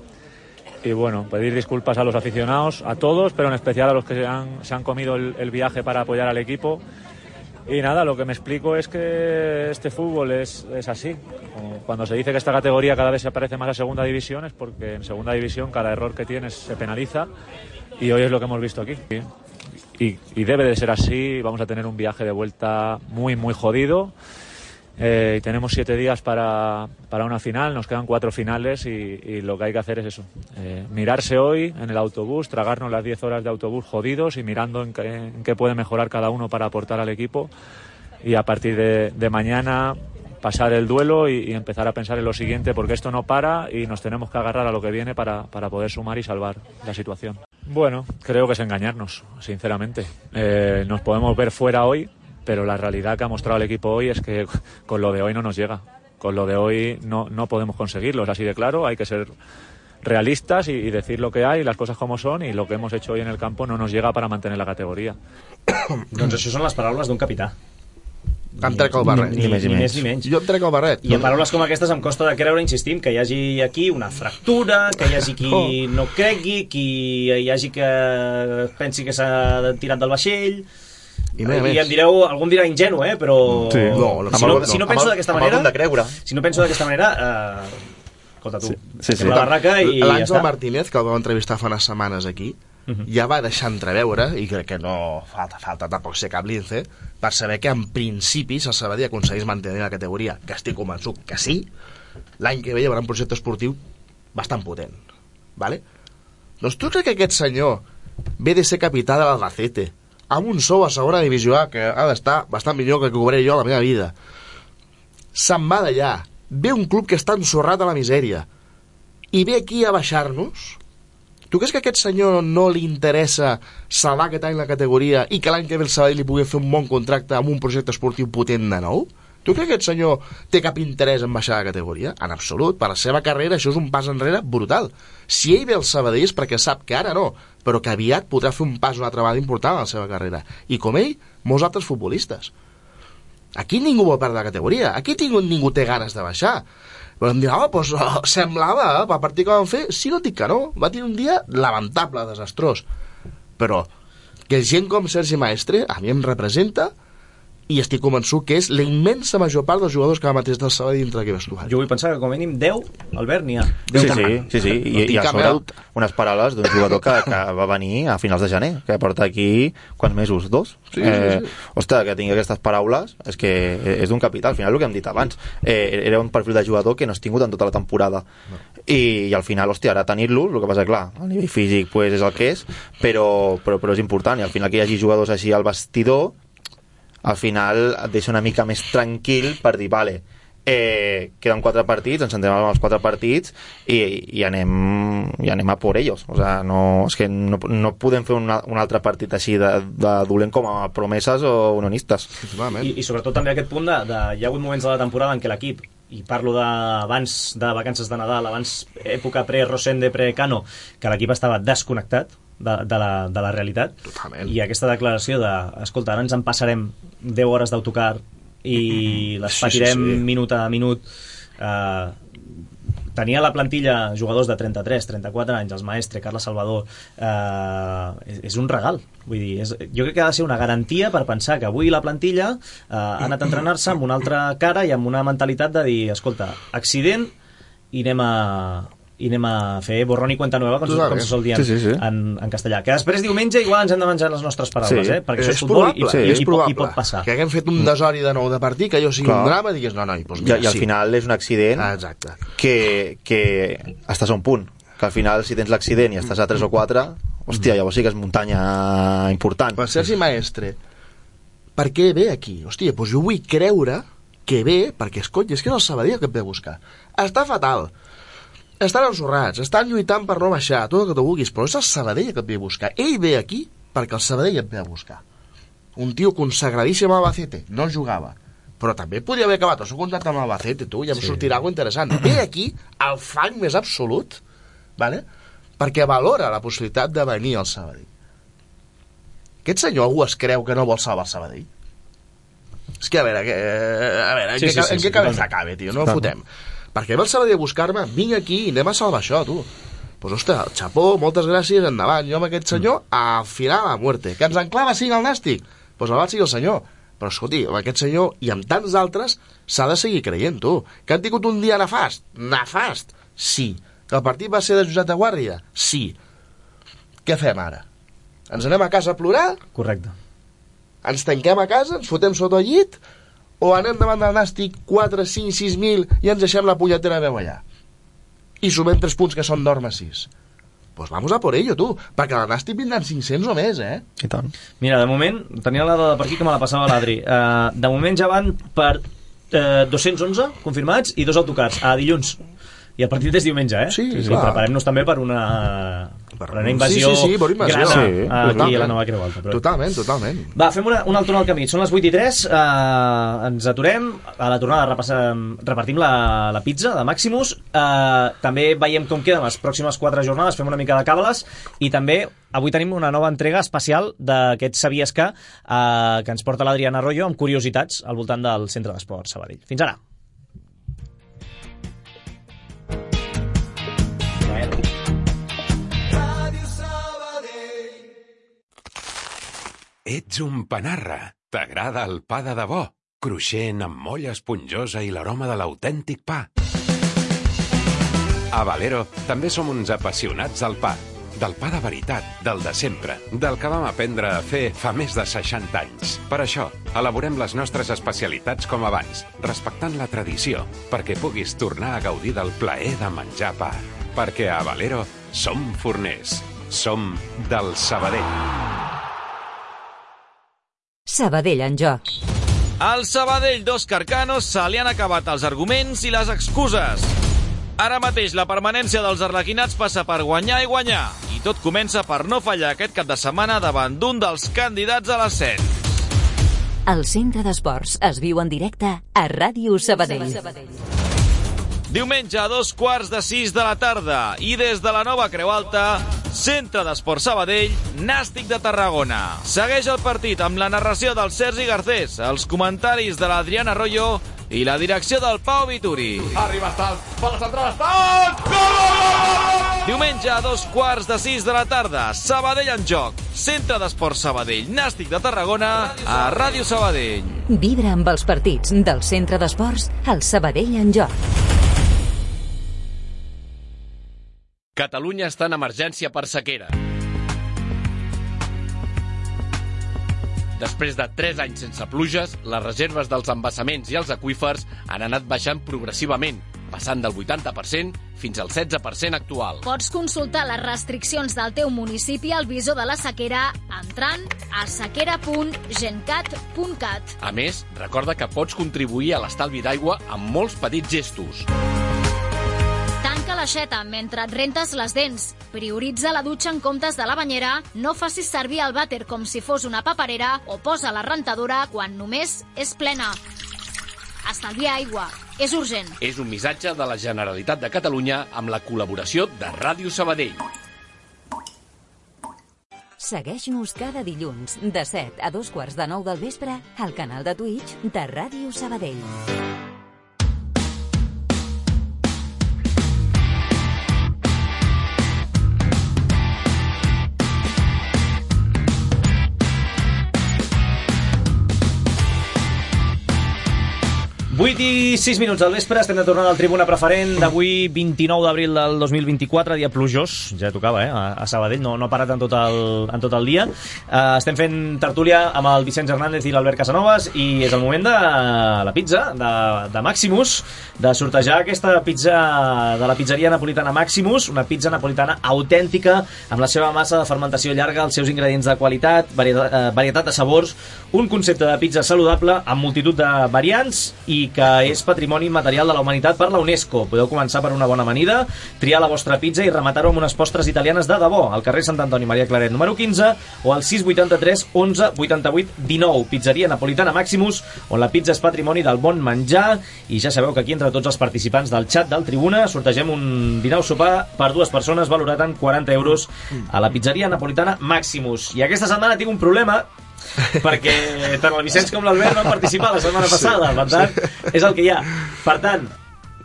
Y bueno, pedir disculpas a los aficionados, a todos, pero en especial a los que se han comido el viaje para apoyar al equipo. Y nada, lo que me explico es que este fútbol es así. Cuando se dice que esta categoría cada vez se parece más a segunda división es porque en segunda división cada error que tienes se penaliza y hoy es lo que hemos visto aquí. Y debe de ser así. Vamos a tener un viaje de vuelta muy, muy jodido. Tenemos 7 días para una final, nos quedan 4 finales y lo que hay que hacer es eso. Mirarse hoy en el autobús, tragarnos las 10 horas de autobús jodidos y mirando en qué puede mejorar cada uno para aportar al equipo y a partir de mañana pasar el duelo y empezar a pensar en lo siguiente, porque esto no para y nos tenemos que agarrar a lo que viene para poder sumar y salvar la situación. Bueno, creo que es engañarnos, sinceramente. Nos podemos ver fuera hoy, pero la realidad que ha mostrado el equipo hoy es que con lo de hoy no nos llega. Con lo de hoy no podemos conseguirlo, es así de claro, hay que ser realistas y decir lo que hay, las cosas como son, y lo que hemos hecho hoy en el campo no nos llega para mantener la categoria. Doncs això són les paraules d'un capità. Em trec el barret. Ni més ni menys. Jo em trec el barret. I en paraules com aquestes em costa de creure, insistim, que hi hagi aquí una fractura, que hi hagi qui no cregui, qui hi hagi que pensi que s'ha tirat del vaixell. I em direu, algú em dirà ingenu, però si no penso d'aquesta manera, escolta tu, la barraca i ja està. L'Àngel Martínez, que el vam entrevistar fa unes setmanes aquí, ja va deixar entreveure, i crec que no falta tampoc ser cap lince, per saber que en principi si el Sabadell aconseguís mantenir la categoria, que estic convençut que sí, l'any que ve hi haurà un projecte esportiu bastant potent, vale? Doncs tu crec que aquest senyor ve de ser capità de l'Albacete, amb un sou a segona divisió A que ha d'estar bastant millor que cobraré jo a la meva vida, se'n va d'allà, ve un club que està ensorrat a la misèria i ve aquí a baixar-nos. Tu creus que a aquest senyor no li interessa salvar aquest any la categoria i que l'any que ve el Sabadell li pugui fer un bon contracte amb un projecte esportiu potent de nou? Tu creus que aquest senyor té cap interès en baixar la categoria? En absolut, per la seva carrera això és un pas enrere brutal. Si ell ve al Sabadell és perquè sap que ara no, però que aviat podrà fer un pas una altra vegada important a la seva carrera. I com ell, molts altres futbolistes. Aquí ningú vol perdre la categoria, aquí ningú té ganes de baixar. Però em dirà, doncs semblava, a partir que van fer, sí, no dic que no, va tenir un dia lamentable, desastrós. Però que gent com Sergi Maestre a mi em representa i estic convençut que és la immensa major part dels jugadors que va mateix del Sabadell dintre d'aquest vestuari. Jo vull pensar que com a mínim 10, Albert, n'hi ha. Sí. I a sobre unes paraules d'un jugador que va venir a finals de gener, que porta aquí quants mesos? 2? Sí. Ostres, que tingui aquestes paraules és que és d'un capità. Al final el que hem dit abans, era un perfil de jugador que no has tingut en tota la temporada. No. I al final, hòstia, ara tenir-lo, el que passa, clar, a nivell físic pues, és el que és, però és important, i al final que hi hagi jugadors així al vestidor al final et deixa una mica més tranquil per dir, vale, queden 4 partits, ens centrem en els 4 partits i anem a por ellos. O sea, és que no podem fer un altre partit així de dolent com a promeses o unionistes. I sobretot també aquest punt hi ha hagut moments de la temporada en què l'equip, i parlo d'abans de vacances de Nadal, abans època pre-Rosende, pre-Cano, que l'equip estava desconnectat de la realitat. Totalment. I aquesta declaració escolta, ara ens en passarem 10 hores d'autocar i les patirem minut a minut. Tenia a la plantilla jugadors de 33, 34 anys, els Maestre, Carles Salvador, és un regal. Vull dir, jo crec que ha de ser una garantia per pensar que avui la plantilla ha anat a entrenar-se amb una altra cara i amb una mentalitat de dir, escolta, accident i anem a fer borrón i cuenta nueva, com se sol dir en castellà. Que després diumenge igual ens hem de menjar les nostres paraules, perquè això és futbol i pot passar. Que haguem fet un desori de nou de partit, que allò sigui un drama, i digues, no, doncs mira, i al final és un accident que estàs a un punt, que al final si tens l'accident i estàs a 3 o 4, hòstia, llavors sí que és muntanya important. Per Sergi Maestre, per què ve aquí? Hòstia, doncs jo vull creure que ve perquè, escolta, és que és el Sabadell que et ve a buscar. Està fatal. Estan ensorrats, estan lluitant per no baixar, tot el que tu vulguis, però és el Sabadell que et ve a buscar. Ell ve aquí perquè el Sabadell et ve a buscar. Un tio consagradíssim a Albacete, no jugava, però també podria haver acabat el seu contracte amb Albacete, tu, ja em sortirà alguna interessant. Ve aquí al fang més absolut, vale? Perquè valora la possibilitat de venir al Sabadell. Aquest senyor algú es creu que no vol salvar el Sabadell? És que, a veure, en què cabeza cabe, tio, no ho fotem. Perquè ve el Sabadell a buscar-me, vinc aquí i anem a salvar això, tu. Pues, ostres, el xapó, moltes gràcies, endavant. Jo amb aquest senyor, al final a muerte. Que ens enclava 5 al nàstic? Pues el sigui el senyor. Però, escolti, amb aquest senyor i amb tants altres s'ha de seguir creient, tu. Que han tingut un dia nefast? Nefast? Sí. Que el partit va ser de Josep de Guàrdia? Sí. Què fem ara? Ens anem a casa a plorar? Correcte. Ens tanquem a casa, ens fotem sota el llit, o anem davant del Nàstic 4, 5, 6.000 i ens deixem la punyetere veu allà? I sumem 3 punts que són norma 6. pues vamos a por ello, tu, perquè la Nàstic vindran 500 o més, I tant. Mira, de moment, tenia la dada per aquí que me la passava l'Adri. De moment ja van per 211 confirmats i 2 autocars a dilluns. I el partit és diumenge, Sí, preparem-nos també per una invasió, grana aquí a la nova Creu Alta. Però... Totalment. Va, fem un altre al camí. Són les 8:03, ens aturem. A la tornada repartim la pizza de Maximus. També veiem com queden les pròximes 4 jornades, fem una mica de càbales i també avui tenim una nova entrega especial d'aquest Sabies que ens porta l'Adriana Arroyo amb curiositats al voltant del Centre d'Esports Sabadell. Fins ara. Ets un panarra. T'agrada el pa de debò, cruixent amb molla esponjosa i l'aroma de l'autèntic pa. A Valero també som uns apassionats del pa. Del pa de veritat, del de sempre, del que vam aprendre a fer fa més de 60 anys. Per això, elaborem les nostres especialitats com abans, respectant la tradició, perquè puguis tornar a gaudir del plaer de menjar pa. Perquè a Valero som forners. Som del Sabadell. Sabadell en joc. Al Sabadell d'Òscar Cano se li han acabat els arguments i les excuses. Ara mateix la permanència dels arlequinats passa per guanyar i guanyar. I tot comença per no fallar aquest cap de setmana davant d'un dels candidats a l'ascens. El Centre d'Esports es viu en directe a Ràdio Sabadell. Diumenge a 5:45 de la tarda i des de la nova Creu Alta, Centre d'Esports Sabadell, Nàstic de Tarragona. Segueix el partit amb la narració del Sergi Garcés, els comentaris de l'Adriana Arroyo i la direcció del Pau Vituri. Arriba Estal, per la central Estal! Gol! Diumenge a 5:45 de la tarda, Sabadell en joc. Centre d'Esports Sabadell, Nàstic de Tarragona, a Ràdio Sabadell. Vibra amb els partits del Centre d'Esports al Sabadell en joc. Catalunya està en emergència per sequera. Després de 3 anys sense pluges, les reserves dels embassaments i els aqüífers han anat baixant progressivament, passant del 80% fins al 16% actual. Pots consultar les restriccions del teu municipi al visor de la sequera entrant a sequera.gencat.cat. A més, recorda que pots contribuir a l'estalvi d'aigua amb molts petits gestos. Tanca l'aixeta mentre et rentes les dents. Prioritza la dutxa en comptes de la banyera. No facis servir el vàter com si fos una paperera o posa la rentadora quan només és plena. Estalvia aigua. És urgent. És un missatge de la Generalitat de Catalunya amb la col·laboració de Ràdio Sabadell. Segueix-nos cada dilluns de 7 a 8:45 del vespre al canal de Twitch de Ràdio Sabadell. I 6 minuts del vespre, estem de tornada al Tribuna Preferent d'avui, 29 d'abril del 2024, dia plujós, ja tocava, a Sabadell, no ha parat en tot el dia. Estem fent tertúlia amb el Vicenç Hernández i l'Albert Casanovas i és el moment de la pizza, de Maximus, de sortejar aquesta pizza de la pizzeria napolitana Maximus, una pizza napolitana autèntica, amb la seva massa de fermentació llarga, els seus ingredients de qualitat, varietat de sabors, un concepte de pizza saludable amb multitud de variants i que és patrimoni immaterial de la humanitat per la UNESCO. Podeu començar per una bona amanida, triar la vostra pizza i rematar-ho amb unes postres italianes de debò, al carrer Sant Antoni Maria Claret número 15 o al 683 11 88 19. Pizzeria napolitana Maximus, on la pizza és patrimoni del bon menjar. I ja sabeu que aquí entre tots els participants del xat del Tribuna sortegem un dinar o sopar per 2 persones valorat en 40 euros a la pizzeria napolitana Maximus. I aquesta setmana tinc un problema perquè tant el Vicenç com l'Albert van participar la setmana passada, per tant és el que hi ha. Per tant,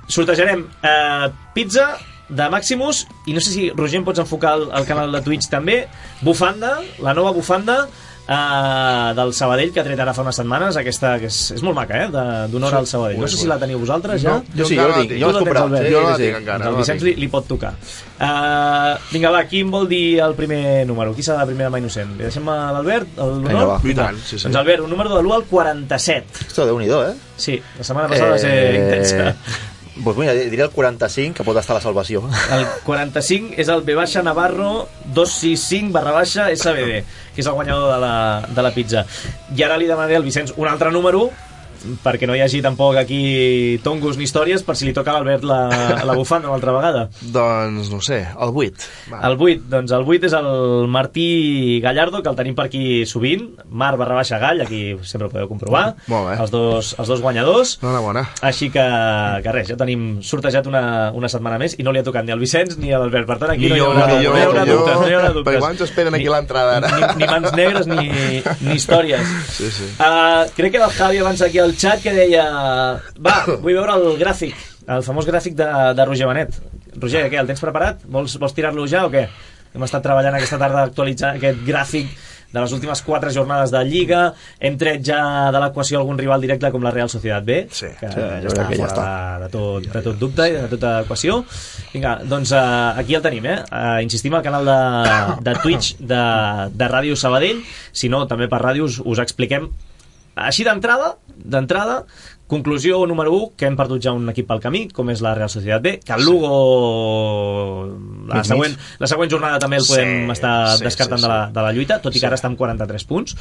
sortejarem pizza de Maximus i no sé si, Roger, em pots enfocar el canal de Twitch també, bufanda, la nova bufanda del Sabadell que ha tret ara fa unes setmanes, aquesta que és molt maca, d'honor al Sabadell. No sé si la teniu vosaltres ja. Jo la tinc, jo l'he comprat. El Vicenç li pot tocar. Vinga, va, qui em vol dir el primer número? Qui serà la primera mà innocent? Li deixem a l'Albert l'honor? Doncs Albert, un número de l'1 al 47. Esto, Déu-n'hi-do, Sí, la setmana passada va ser intensa. Doncs mira, diria el 45, que pot estar a la salvació. El 45 és el B-Navarro 265/SBD, que és el guanyador de la pizza. I ara li demanaré al Vicenç un altre número, perquè no hi hagi tampoc aquí tongos ni històries, per si li toca a l'Albert la bufanda una altra vegada. Doncs no sé, el 8. El 8, doncs el 8 és el Martí Gallardo, que el tenim per aquí sovint, Mar/Gall, aquí sempre ho podeu comprovar. Molt bé. Els dos guanyadors. Enhorabona. Així que res, ja tenim sortejat una setmana més i no li ha tocat ni al Vicenç ni a l'Albert. Per tant, aquí no hi haurà dubtes. Perquè abans esperen aquí l'entrada ara. Ni mans negres ni històries. Sí, sí. Crec que el Javi abans aquí al xat que deia vull veure el gràfic, el famós gràfic de Roger Benet. Roger, què, el tens preparat? Vols tirar-lo ja o què? Hem estat treballant aquesta tarda actualitzant aquest gràfic de les últimes 4 jornades de Lliga. Hem tret ja de l'equació algun rival directe com la Real Societat B, que ja està fora de tot dubte i de tota equació. Vinga, doncs aquí el tenim, insistim al canal de Twitch de Ràdio Sabadell. Si no, també per ràdio us expliquem així d'entrada, conclusió número 1, que hem perdut ja un equip pel camí, com és la Real Societat B, que el Lugo la següent jornada també el podem estar descartant de la lluita, tot i que ara està amb 43 punts.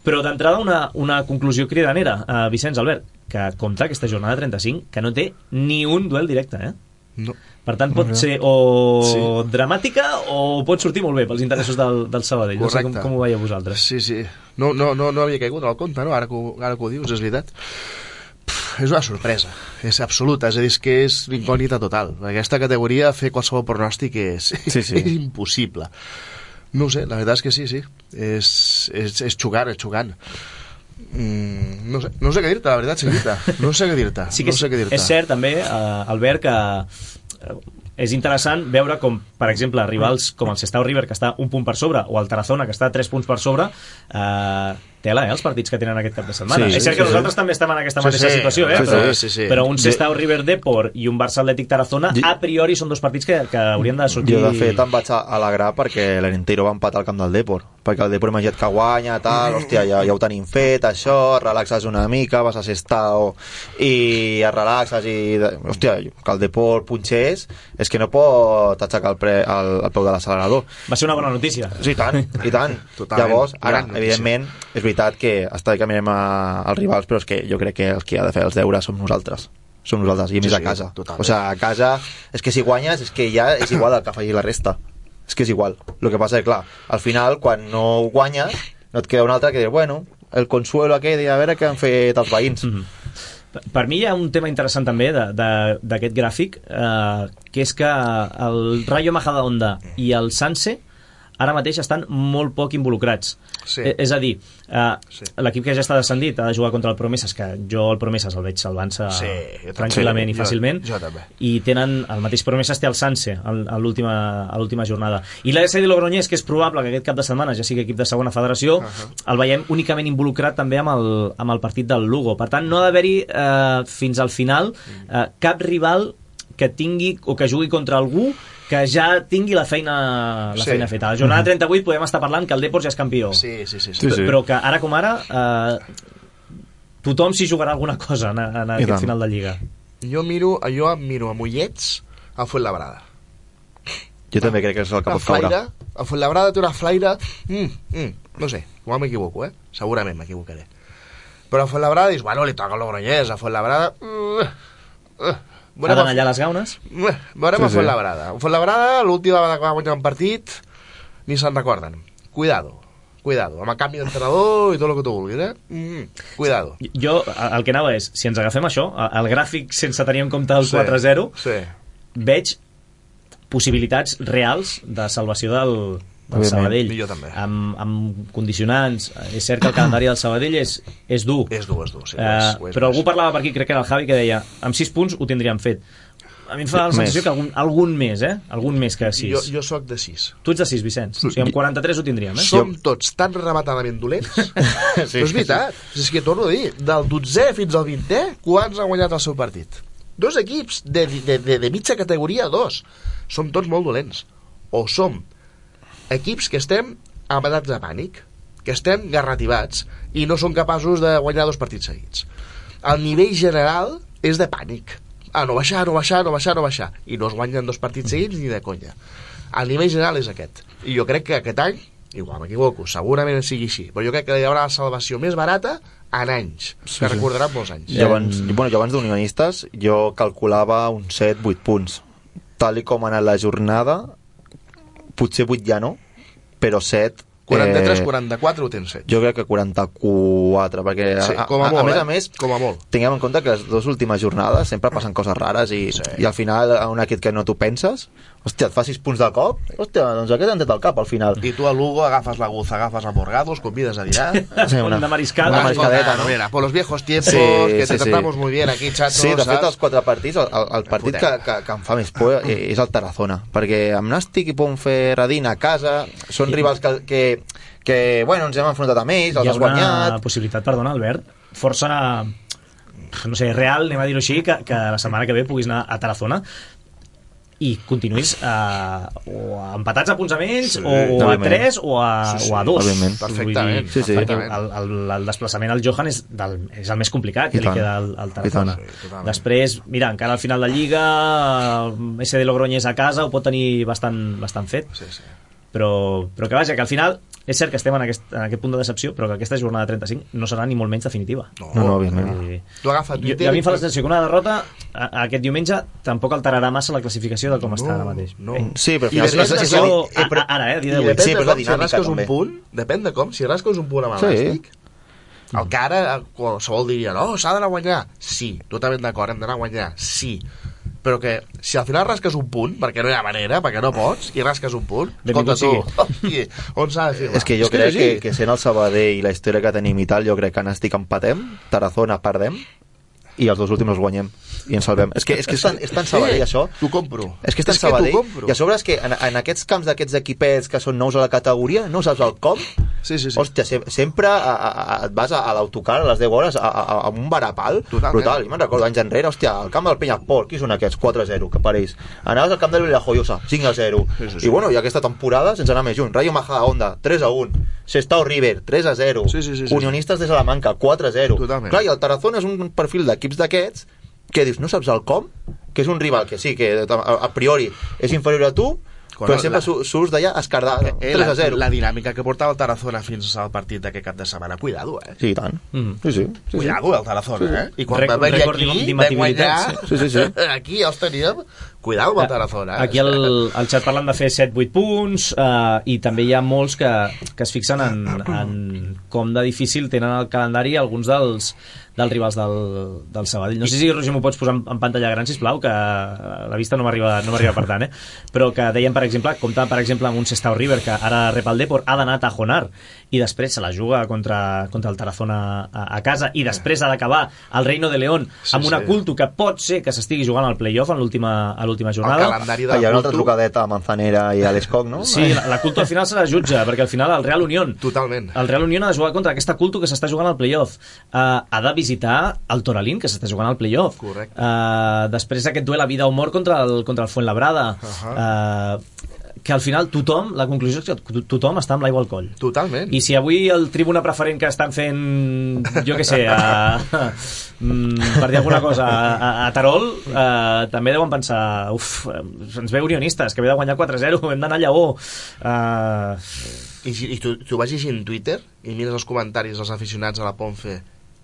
Però d'entrada una conclusió cridanera, Vicenç, Albert, que compta aquesta jornada 35, que no té ni un duel directe, No. Per tant, pot ser o dramàtica o pot sortir molt bé pels interessos del Sabadell. No sé com ho veieu vosaltres. Sí. No havia caigut al compte, no? Ara que ho dius, és veritat. És una sorpresa, és absoluta, és a dir, que és incògnita total. Aquesta categoria, fer qualsevol pronòstic és impossible. No ho sé, la veritat és que sí. És xocant. No sé què dir-te, la veritat, Seguita. No sé què dir-te. Sí que és cert també, Albert, que és interessant veure com, per exemple, rivals com el Sestao River, que està un punt per sobre, o el Tarazona, que està 3 punts per sobre, tela, els partits que tenen aquest cap de setmana. És cert que nosaltres també estem en aquesta mateixa situació, però un Sestao River Depor i un Barça Atlètic Tarazona, a priori són dos partits que haurien de sortir. Jo, de fet, em vaig alegrar perquè l'Arenteiro va empatar al camp del Depor, perquè el Depor imaginat que guanya, tal, hòstia, ja ho tenim fet, això, relaxes una mica, vas a Sestao i et relaxes i, hòstia, que el Depor punxés, és que no pot aixecar el peu de l'accelerador. Va ser una bona notícia. Sí, i tant. Llavors, ara, evidentment, és veritat que està bé que mirem als rivals, però és que jo crec que els que ha de fer els deures som nosaltres, i més a casa. O sigui, a casa, és que si guanyes, és que ja és igual el que faci la resta. És que és igual. El que passa és, clar, al final, quan no guanyes, no et queda un altre que dir, bueno, el consuelo aquell de a veure què han fet els veïns. Per mi hi ha un tema interessant també d'aquest gràfic, que és que el Rayo Majadahonda i el Sanse ara mateix estan molt poc involucrats. És a dir, l'equip que ja està descendit ha de jugar contra el Promesas, que jo el Promesas el veig salvant-se tranquil·lament i fàcilment, i tenen el mateix Promesas té el Sanse a l'última jornada. I l'AS de Logroñés, que és probable que aquest cap de setmana ja sigui equip de segona federació, el veiem únicament involucrat també amb el partit del Lugo. Per tant, no ha d'haver-hi fins al final cap rival que tingui o que jugui contra algú que ja tingui la feina feta. A la jornada 38 podem estar parlant que el Depor ja és campió. Sí. Però que ara com ara tothom s'hi jugarà alguna cosa en aquest final de Lliga. Jo miro amb ullets a Fuenlabrada. Jo també crec que és el que pot caure. A Fuenlabrada té una flaire... no sé, igual m'equivoco, segurament m'equivocaré. Però a Fuenlabrada dius, bueno, li toca a Logroñés, a Fuenlabrada... Ha d'anar allà a les gaunes? Veurem a Fuenlabrada. A Fuenlabrada, l'última vegada que va guanyar un partit, ni se'n recorden. Cuidado, amb el canvi d'entrenador i tot el que tu vulguis, cuidado. Jo, el que anava és, si ens agafem això, el gràfic sense tenir en compte el 4-0, veig possibilitats reals de salvació del Sabadell, amb condicionants. És cert que el calendari del Sabadell és dur, però algú parlava per aquí, crec que era el Javi, que deia amb 6 punts ho tindríem fet. A mi em fa la sensació que algun més que 6. Jo soc de 6. Tu ets de 6, Vicenç. O sigui, amb 43 ho tindríem, Som tots tan rematadament dolents. Però és veritat, és que torno a dir, del 12è fins al 20è, quants han guanyat el seu partit? 2 equips de mitja categoria, 2. Som tots molt dolents. O som equips que estem amatats de pànic, que estem garrativats i no som capaços de guanyar 2 partits seguits. El nivell general és de pànic, no baixar, i no es guanyen 2 partits seguits ni de conya. El nivell general és aquest, i jo crec que aquest any, igual m'equivoco, segurament sigui així, però jo crec que hi haurà la salvació més barata en anys, que recordaran molts anys. Jo abans d'unionistes jo calculava uns 7-8 punts, tal i com ha anat la jornada, potser 8 ja no, però 7 43-44 ho tens fet. Jo crec que 44, perquè a més, com a molt. tinguem en compte que les 2 últimes jornades sempre passen coses rares i al final un equip que no t'ho penses, hòstia, et fa 6 punts de cop, hòstia, doncs aquest han tret al cap al final. I tu a Lugo agafes la Guza, agafes a Morgado, els convides a dinar. Una mariscada. Una mariscadeta, ¿no? Mira, por los viejos tiempos, que te tratamos muy bien aquí, chato. Sí, de fet, els 4 partits, el partit que em fa més por és el Tarazona, perquè amb Nàstic i Ponferradina a casa són rivals que bueno, ens hem enfrontat amb ells, els has guanyat. Hi ha una possibilitat, perdona, Albert, força, no sé, real, anem a dir-ho així, que la setmana que ve puguis anar a Tarazona i continuïs o empatats a punts amb ells, o a 3 o a 2. Perfectament. Perquè el desplaçament al Johan és el més complicat que li queda al Tarazona. Després, mira, encara al final de Lliga SD Logroñés a casa ho pot tenir bastant fet. Però que vaja, que al final és cert que estem en aquest punt de decepció, però que aquesta jornada 35 no serà ni molt menys definitiva. No, òbviament. Tu agafa Twitter... A mi em fa la sensació que una derrota aquest diumenge tampoc alterarà massa la classificació de com està ara mateix. Sí, però ara, dia d'avui. Si rasques un punt, depèn de com, si rasques un punt amb Nàstic, el que ara qualsevol diria, no, s'ha d'anar a guanyar. Sí, totalment d'acord, hem d'anar a guanyar, sí. Però que si al final rasques un punt, perquè no hi ha manera, perquè no pots, i rasques un punt, escolta tu, on s'ha de firmar? És que jo crec que sent el Sabadell i la història que tenim i tal, jo crec que Nàstic empatem, Tarazona perdem, i els 2 últims els guanyem i ens salvem. És que és tan Sabadell, això. T'ho compro. És que és tan Sabadell. I a sobre és que en aquests camps d'aquests equipets que són nous a la categoria, no saps el com. Hòstia, sempre et vas a l'autocar a les 10 hores a un varapal brutal. Jo me'n recordo anys enrere, hòstia, al camp del Penyafort, qui són aquests? 4-0, que per ells. Anaves al camp de Villajoyosa, 5-0. I bueno, i aquesta temporada, sense anar més junt, Rayo Majadahonda, 3-1. Sestao River, 3-0. Unionistes de Salamanca, 4-0. Clar, i el Tarazona és un perfil d'equips d'aquests que dius, no saps el com, que és un rival que sí, que a priori és inferior a tu, però sempre surts d'allà escardar 3-0. La dinàmica que portava el Tarazona fins al partit d'aquest cap de setmana, cuidado, Sí, i tant. Cuidado, el Tarazona, I quan va venir aquí, vam guanyar, aquí ja els teníem, cuidado amb el Tarazona. Aquí al xat parlen de fer 7-8 punts, i també hi ha molts que es fixen en com de difícil tenen el calendari alguns dels rivals del Sabadell. No sé si, Roger, m'ho pots posar en pantalla gran, sisplau, que la vista no m'arriba per tant, però que deien, per exemple, compta, per exemple, amb un Sestao River, que ara rep el Depor, ha d'anar a Tajonar, i després se la juga contra el Tarazona a casa, i després ha d'acabar el Reino de León amb una Culto que pot ser que s'estigui jugant al play-off a l'última jornada. Hi ha una altra trucadeta a Manzanera i a l'Escoc, no? Sí, la Culto al final serà jutge, perquè al final el Real Unión ha de jugar contra aquesta Culto que s'està jugant al play-off. Ha de visitar el Toralín, que s'està jugant al play-off. Després aquest duel a vida o mort contra el Fuenlabrada. Que al final tothom, la conclusió és que tothom està amb l'aigua al coll. Totalment. I si avui el tribuna preferent que estan fent, jo què sé, per dir alguna cosa, a Terol, també deuen pensar, ens ve Unionistes, que ve de guanyar 4-0, hem d'anar a Lleó. I tu vas llegint Twitter i mires els comentaris dels aficionats a la Ponfe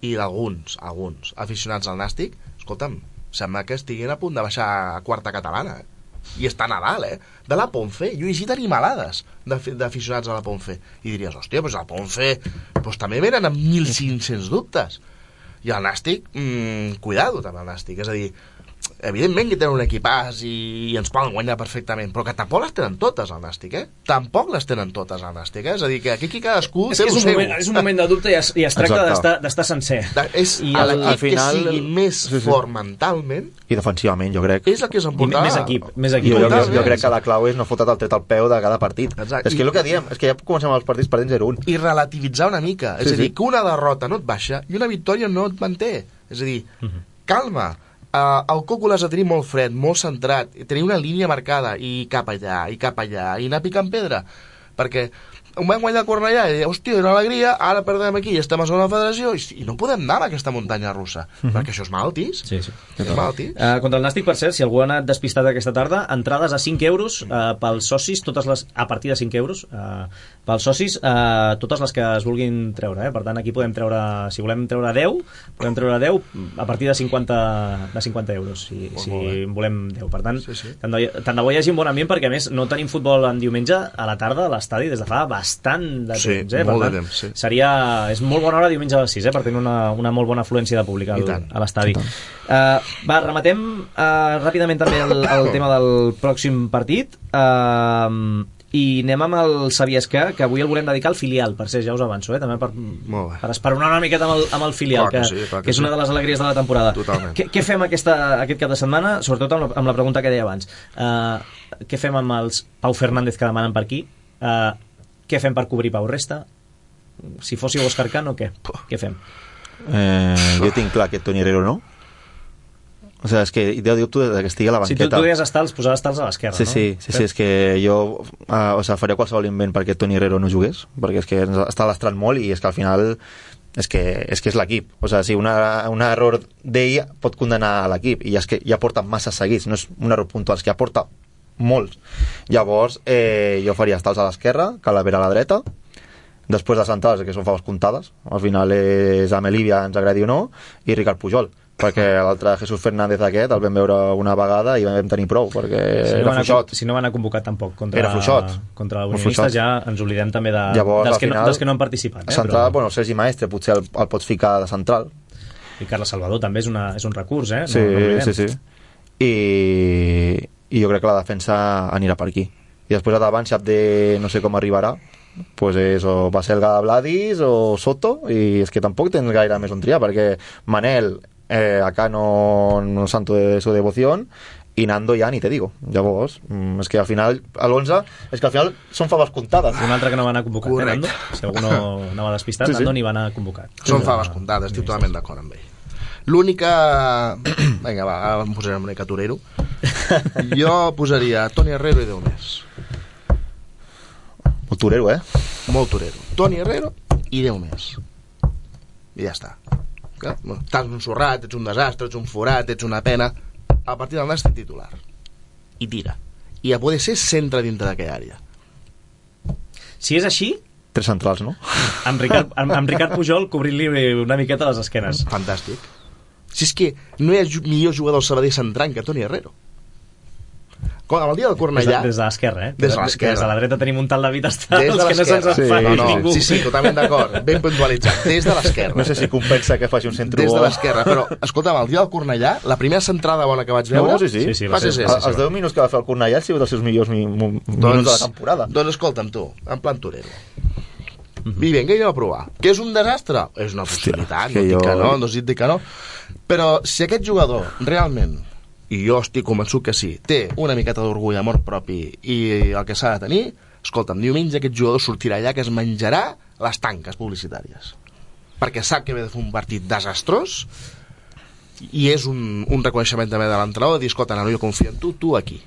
i d'alguns aficionats al Nàstic, escolta'm, sembla que estiguin a punt de baixar a quarta catalana, i està a Nadal, de la Ponfe. Jo he llegit animalades d'aficionats a la Ponfe i diries, hòstia, doncs a la Ponfe també venen amb 1.500 dubtes, i el Nàstic, cuidado també el Nàstic, és a dir, evidentment que tenen un equipàs i ens poden guanyar perfectament, però que tampoc les tenen totes al Nàstic, tampoc les tenen totes al Nàstic, és a dir, que aquí cadascú té el seu. És un moment de dubte i es tracta d'estar sencer. És l'equip que sigui més fort mentalment i defensivament, jo crec. És el que s'emportarà. Més equip. Jo crec que la clau és no fotre el tret al peu de cada partit. És que el que diem, és que ja comencem els partits perdent 0-1. I relativitzar una mica, és a dir, que una derrota no et baixa i una victòria no et manté. És a dir, calma. El Coco l'has de tenir molt fred, molt centrat, tenir una línia marcada i cap allà, i anar picant pedra, perquè ho vam guanyar a Cornellà i hòstia, era alegria, ara perdem aquí i estem a segona federació i no podem anar a aquesta muntanya russa, perquè això és malaltís. Sí. És malaltís. Contra el Nàstic, per cert, si algú ha anat despistat aquesta tarda, entrades a 5 euros pels socis, a partir de 5 euros pels socis, totes les que es vulguin treure, Per tant, aquí podem treure, si volem treure 10, podem treure 10 a partir de 50 euros, si volem 10. Per tant, tant de bo hi hagi un bon ambient, perquè a més no tenim futbol en diumenge a la tarda a l'estadi des de fa bastant de temps, molt per de tant, temps, és molt bona hora diumenge a les 6, per tenir una molt bona afluència de públic a l'estadi. Rematem ràpidament també el tema del pròxim partit, i anem amb el Saviesca, que avui el volem dedicar al filial, per ser, ja us avanço, també per esperonar una miqueta amb el filial, que és una de les alegries de la temporada. Què fem aquest cap de setmana, sobretot amb la pregunta que deia abans? Què fem amb els Pau Fernández que demanen per aquí? Què fem per cobrir Pau Resta? Si fóssiu Òscar Cano, què fem? Jo tinc clar que Toni Herrero no. O sea, és que jo dubto que estigui a la banqueta. Si tu deies estals, posar estals a l'esquerra, no? Sí, és que jo faria qualsevol invent perquè Toni Herrero no jugués, perquè és que està lastrant molt i és que al final és que és l'equip. O sigui, si un error d'ell pot condenar l'equip, i és que ja porta massa seguits, no és un error puntual, és que ja porta molts. Llavors jo faria estals a l'esquerra, Calavera a la dreta, després les centrals, que són faves comptades, al final és Amelívia, ens agradi o no, i Ricard Pujol, perquè l'altre Jesús Fernández aquest el vam veure una vegada i vam tenir prou, perquè era fluixot. Si no va anar convocat tampoc contra l'Unionistes, ja ens oblidem també dels que no han participat. Central, bueno, Sergi Maestre potser el pots ficar de central. I Carles Salvador també és un recurs, Sí. I jo crec que la defensa anirà per aquí. I després a davant, si Abde no sé com arribarà, pues és o Baselga Vladis o Soto, i és que tampoc tens gaire més on triar, perquè Manel acá no santo de su devoción, i Nando ja ni te digo. Llavors, és que al final són faves comptades. Un altre que no va anar convocat, Nando, si algú no anava despistat, Nando ni va anar convocat. Són faves comptades, estic totalment d'acord amb ell. L'única... Vinga, va, ara em posaré una mica torero. Jo posaria Toni Herrero i 10 més. Molt torero, Molt torero. Toni Herrero i 10 més. I ja està. Estàs ensorrat, ets un desastre, ets un forat, ets una pena. A partir del Nàstic titular. I tira. I a poder ser centre dintre d'aquella àrea. Si és així... 3 centrals, no? Amb Ricard Pujol cobrint-li una miqueta les esquenes. Fantàstic. Si és que no hi ha millor jugador Sabadell centrant que Toni Herrero. Com el dia del Cornellà... Des de l'esquerra, Des de l'esquerra. Des de la dreta tenim un tal David Estals que no se'ns en fa ningú. Sí, totalment d'acord. Ben puntualitzat. Des de l'esquerra. No sé si compensa que faci un centre Des de l'esquerra. Però, escolta'm, el dia del Cornellà, la primera centrada bona que vaig veure... Sí, els 10 minuts que va fer el Cornellà han sigut els seus millors minuts de la temporada. Doncs escolta'm tu, en plan torero. I vinga, jo a provar. Que és un desastre? És una possibilitat, no dic que no. Però si aquest jugador realment, i jo estic convençut que sí, té una miqueta d'orgull, amor propi i el que s'ha de tenir, escolta'm, diumenge aquest jugador sortirà allà que es menjarà les tanques publicitàries, perquè sap que ve de fer un partit desastrós, i és un reconeixement també de l'entrenador de dir, escolta, no, jo confio en tu aquí.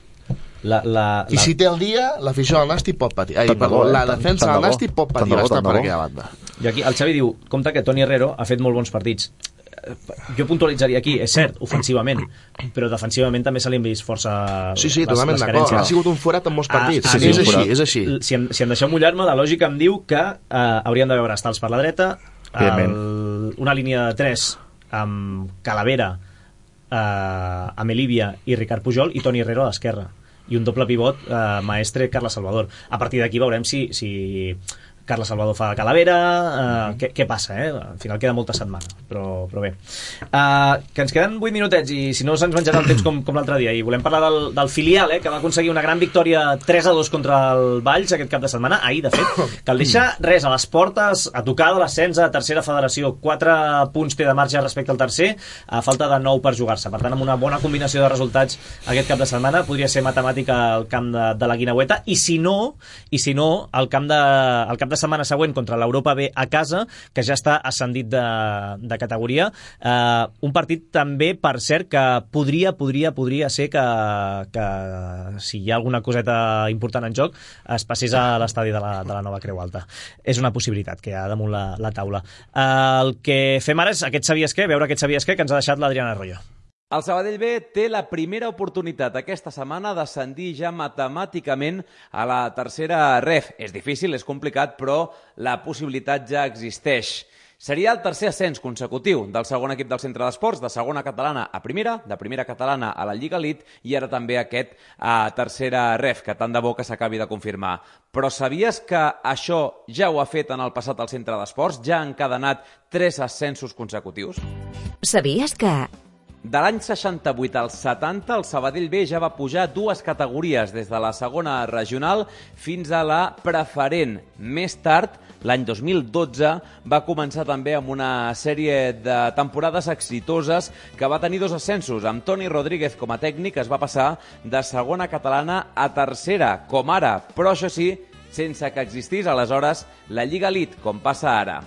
I si té el dia, l'afició del Nàstic pot patir. La defensa del Nàstic pot patir bastant per aquella banda. I aquí el Xavi diu, compte que Toni Herrero ha fet molt bons partits. Jo puntualitzaria aquí, és cert, ofensivament, però defensivament també se li han vist força totalment d'acord. Ha sigut un forat en molts partits. És així. Si em deixeu mullar-me, la lògica em diu que hauríem de veure estals per la dreta, una línia de 3 amb Calavera, Amelívia i Ricard Pujol, i Toni Herrero a l'esquerra, i un doble pivot, Maestre, Carles Salvador. A partir d'aquí veurem si Carles Salvador fa Calavera, què passa, al final queda molta setmana, però bé. Que ens queden 8 minutets i si no se'ns menjarà el temps com l'altre dia, i volem parlar del filial, que va aconseguir una gran victòria 3-2 contra el Valls aquest cap de setmana, ahir de fet, que el deixa res a les portes, a tocar de l'ascens a tercera federació. 4 punts té de marge respecte al tercer, a falta de 9 per jugar-se. Per tant, amb una bona combinació de resultats aquest cap de setmana podria ser matemàtica al camp de la Guineueta, i si no al camp de cap de setmana següent contra l'Europa B a casa, que ja està ascendit de categoria. Un partit també, per cert, que podria ser que si hi ha alguna coseta important en joc es passés a l'estadi de la Nova Creu Alta. És una possibilitat que hi ha damunt la taula. El que fem ara és aquest sabies què, veure aquest sabies què que ens ha deixat l'Adriana Arroyo. El Sabadell B té la primera oportunitat aquesta setmana d'ascendir ja matemàticament a la tercera ref. És difícil, és complicat, però la possibilitat ja existeix. Seria el tercer ascens consecutiu del segon equip del Centre d'Esports, de segona catalana a primera, de primera catalana a la Lliga Elite i ara també aquest a tercera ref, que tant de bo que s'acabi de confirmar. Però sabies que això ja ho ha fet en el passat al Centre d'Esports? Ja ha encadenat 3 ascensos consecutius? Sabies que... De l'any 68 al 70, el Sabadell B ja va pujar 2 categories, des de la segona regional fins a la preferent. Més tard, l'any 2012, va començar també amb una sèrie de temporades exitoses que va tenir 2 ascensos. Amb Toni Rodríguez com a tècnic es va passar de segona catalana a tercera, com ara, però això sí, sense que existís aleshores la Lliga Elite, com passa ara.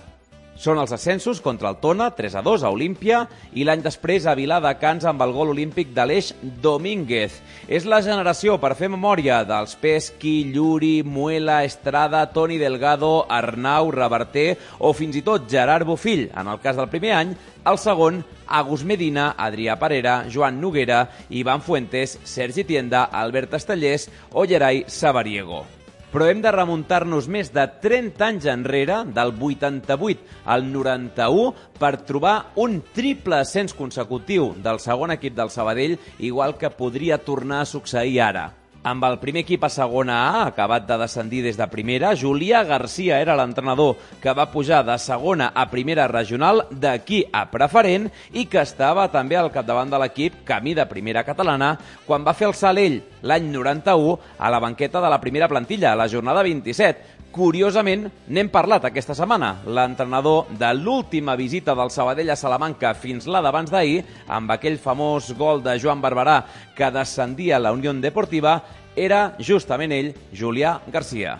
Són els ascensos contra el Tona, 3-2 a Olímpia, i l'any després a Viladecans amb el gol olímpic d'Aleix Domínguez. És la generació, per fer memòria, dels Pesqui, Lluri, Muela, Estrada, Toni Delgado, Arnau, Reverter o fins i tot Gerard Bofill. En el cas del primer any, el segon, Agus Medina, Adrià Parera, Joan Noguera, Ivan Fuentes, Sergi Tienda, Albert Estellers o Gerai Sabariego. Però hem de remuntar-nos més de 30 anys enrere, del 88 al 91, per trobar un triple ascens consecutiu del segon equip del Sabadell, igual que podria tornar a succeir ara. Amb el primer equip a segona A, acabat de descendir des de primera, Julià Garcia era l'entrenador que va pujar de segona a primera regional, d'aquí a preferent, i que estava també al capdavant de l'equip camí de primera catalana, quan va fer el salt ell, l'any 91, a la banqueta de la primera plantilla, a la jornada 27. Curiosament, n'hem parlat aquesta setmana. L'entrenador de l'última visita del Sabadell a Salamanca fins la d'abans d'ahir, amb aquell famós gol de Joan Barberà que descendia la Unió Deportiva, era justament ell, Julià Garcia.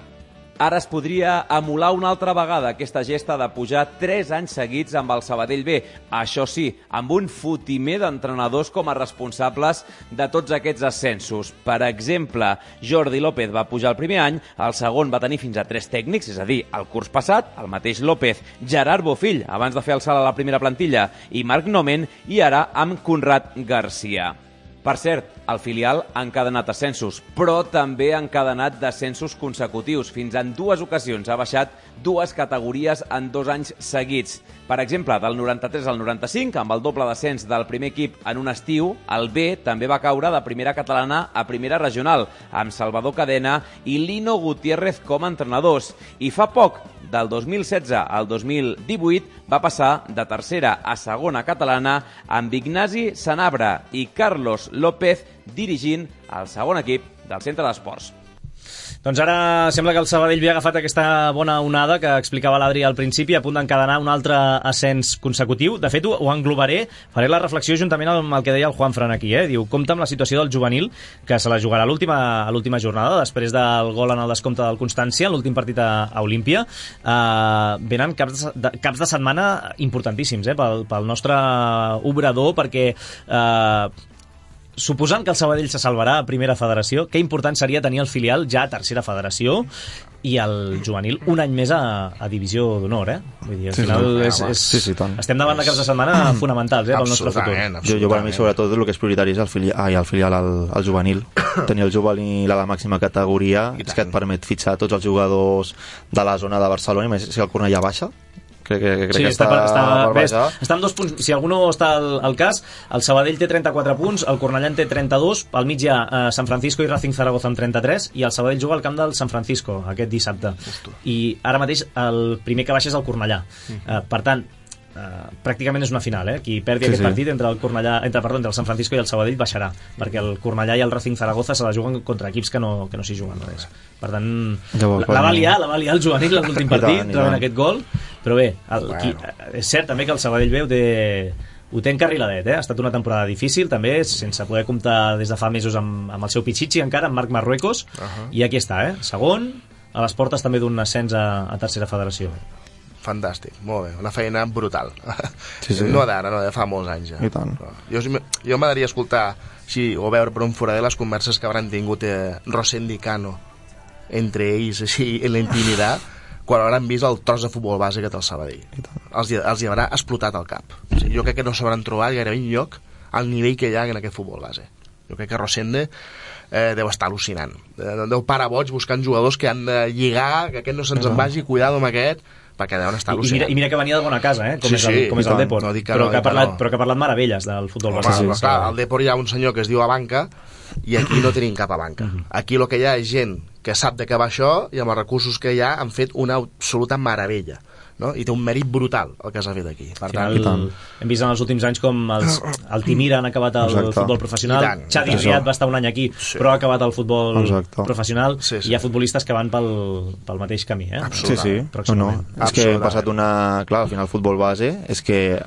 Ara es podria emular una altra vegada aquesta gesta de pujar 3 anys seguits amb el Sabadell B. Això sí, amb un fotimer d'entrenadors com a responsables de tots aquests ascensos. Per exemple, Jordi López va pujar el primer any, el segon va tenir fins a 3 tècnics, és a dir, el curs passat, el mateix López, Gerard Bofill, abans de fer el salt a la primera plantilla, i Marc Nomen, i ara amb Conrad Garcia. Per cert, el filial ha encadenat ascensos, però també ha encadenat descensos consecutius. Fins en 2 ocasions ha baixat 2 categories en 2 anys seguits. Per exemple, del 93 al 95, amb el doble descens del primer equip en un estiu, el B també va caure de primera catalana a primera regional, amb Salvador Cadena i Lino Gutiérrez com a entrenadors. I fa poc, del 2016 al 2018, va passar de tercera a segona catalana amb Ignasi Sanabra i Carlos López dirigint el segon equip del Centre d'Esports. Doncs ara sembla que el Sabadell havia agafat aquesta bona onada que explicava l'Adri al principi, a punt d'encadenar un altre ascens consecutiu. De fet, ho englobaré, faré la reflexió juntament amb el que deia el Juanfran aquí. Diu, compta amb la situació del juvenil, que se la jugarà a l'última jornada, després del gol en el descompte del Constància, l'últim partit a Olímpia. Venen caps de setmana importantíssims pel nostre obrador, perquè... suposant que el Sabadell se salvarà a primera federació, que important seria tenir el filial ja a tercera federació i el juvenil un any més a divisió d'honor, Vull dir, al final estem davant de caps de setmana fonamentals pel nostre futur. Jo per mi sobretot el que és prioritari és el filial al juvenil. Tenir el juvenil a la màxima categoria és que et permet fitxar tots els jugadors de la zona de Barcelona, i més si el Cornellà baixa. Crec que està amb 2 punts. Si algú no està al cas, el Sabadell té 34 punts, el Cornellà en té 32, al mig hi ha San Francisco i Racing Zaragoza amb 33, i el Sabadell juga al camp del San Francisco aquest dissabte. I ara mateix el primer que baixa és el Cornellà. Per tant, pràcticament és una final, qui perdi aquest partit entre el San Francisco i el Sabadell baixarà, perquè el Cornellà i el Racing Zaragoza se la juguen contra equips que no s'hi juguen res. Per tant, la va liar el juvenil en l'últim partit, rebent aquest gol, però bé, és cert també que el Sabadell B ho té encarriladet, ha estat una temporada difícil també, sense poder comptar des de fa mesos amb el seu Pichichi encara, amb Marc Marruecos, i aquí està, segon, a les portes també d'un ascens a tercera federació. Fantàstic, molt bé, una feina brutal. Sí. No d'ara, no, de fa molts anys ja. I tant. Jo m'agradaria escoltar o veure per un forader les converses que hauran tingut Rosendo i Cano entre ells, així, en la intimitat, quan hauran vist el tros de futbol base que té el Sabadell. Els hi haurà explotat el cap. O sigui, jo crec que no s'hauran trobat gairebé enlloc al nivell que hi ha en aquest futbol base. Jo crec que Rosendo deu estar al·lucinant. Deu parar boig buscant jugadors que han de lligar, que aquest no se'ns en vagi, cuidado amb aquest, perquè deuen estar al·lucinant. I mira que venia de bona casa, com és el Depor, però que ha parlat meravelles del futbol base. Clar, al Depor hi ha un senyor que es diu Abanca i aquí no tenim cap Abanca. Aquí el que hi ha és gent que sap de què va això i amb els recursos que hi ha han fet una absoluta meravella, no? I té un mèrit brutal el que s'ha fet aquí. Per tant, hem vist en els últims anys com el Timira han acabat el futbol professional, Xavi Riad va estar un any aquí però ha acabat el futbol professional, i hi ha futbolistes que van pel mateix camí, Sí. És que hem passat clar, al final el futbol base és que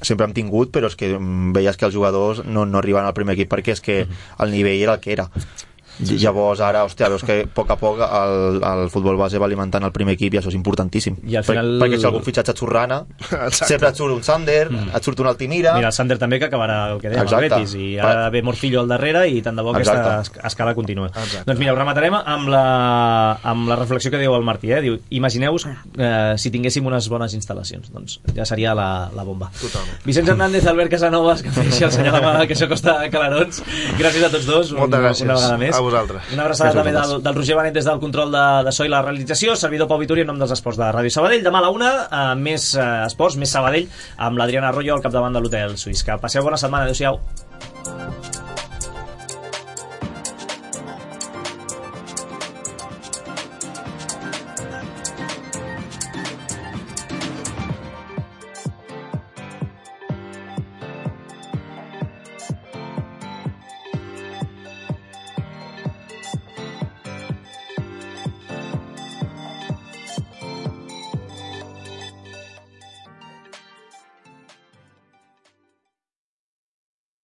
sempre hem tingut, però és que veies que els jugadors no arriben al primer equip perquè és que el nivell era el que era. Llavors ara, veus que a poc el futbol base va alimentant el primer equip i això és importantíssim, perquè si algun fitxatge et surt Rana, sempre et surt un Sander, et surt un Altimira. Mira, el Sander també, que acabarà el que dèiem al Betis, i ara ve Morcillo al darrere i tant de bo aquesta escala continua. Doncs mira, ho rematarem amb la reflexió que diu el Martí, diu, imagineu-vos si tinguéssim unes bones instal·lacions, doncs ja seria la bomba. Vicenç Hernández, Albert Casanovas, que feixi el senyor de que això costa calarons, gràcies a tots dos una vegada més. Vosaltres. Una abraçada també del Roger Benet des del control de so i la realització, servidor Pau Vituri en nom dels esports de Ràdio Sabadell. Demà a la 1, més esports, més Sabadell, amb l'Adriana Arroyo al capdavant de l'Hotel Suís. Que passeu bona setmana, adéu-siau.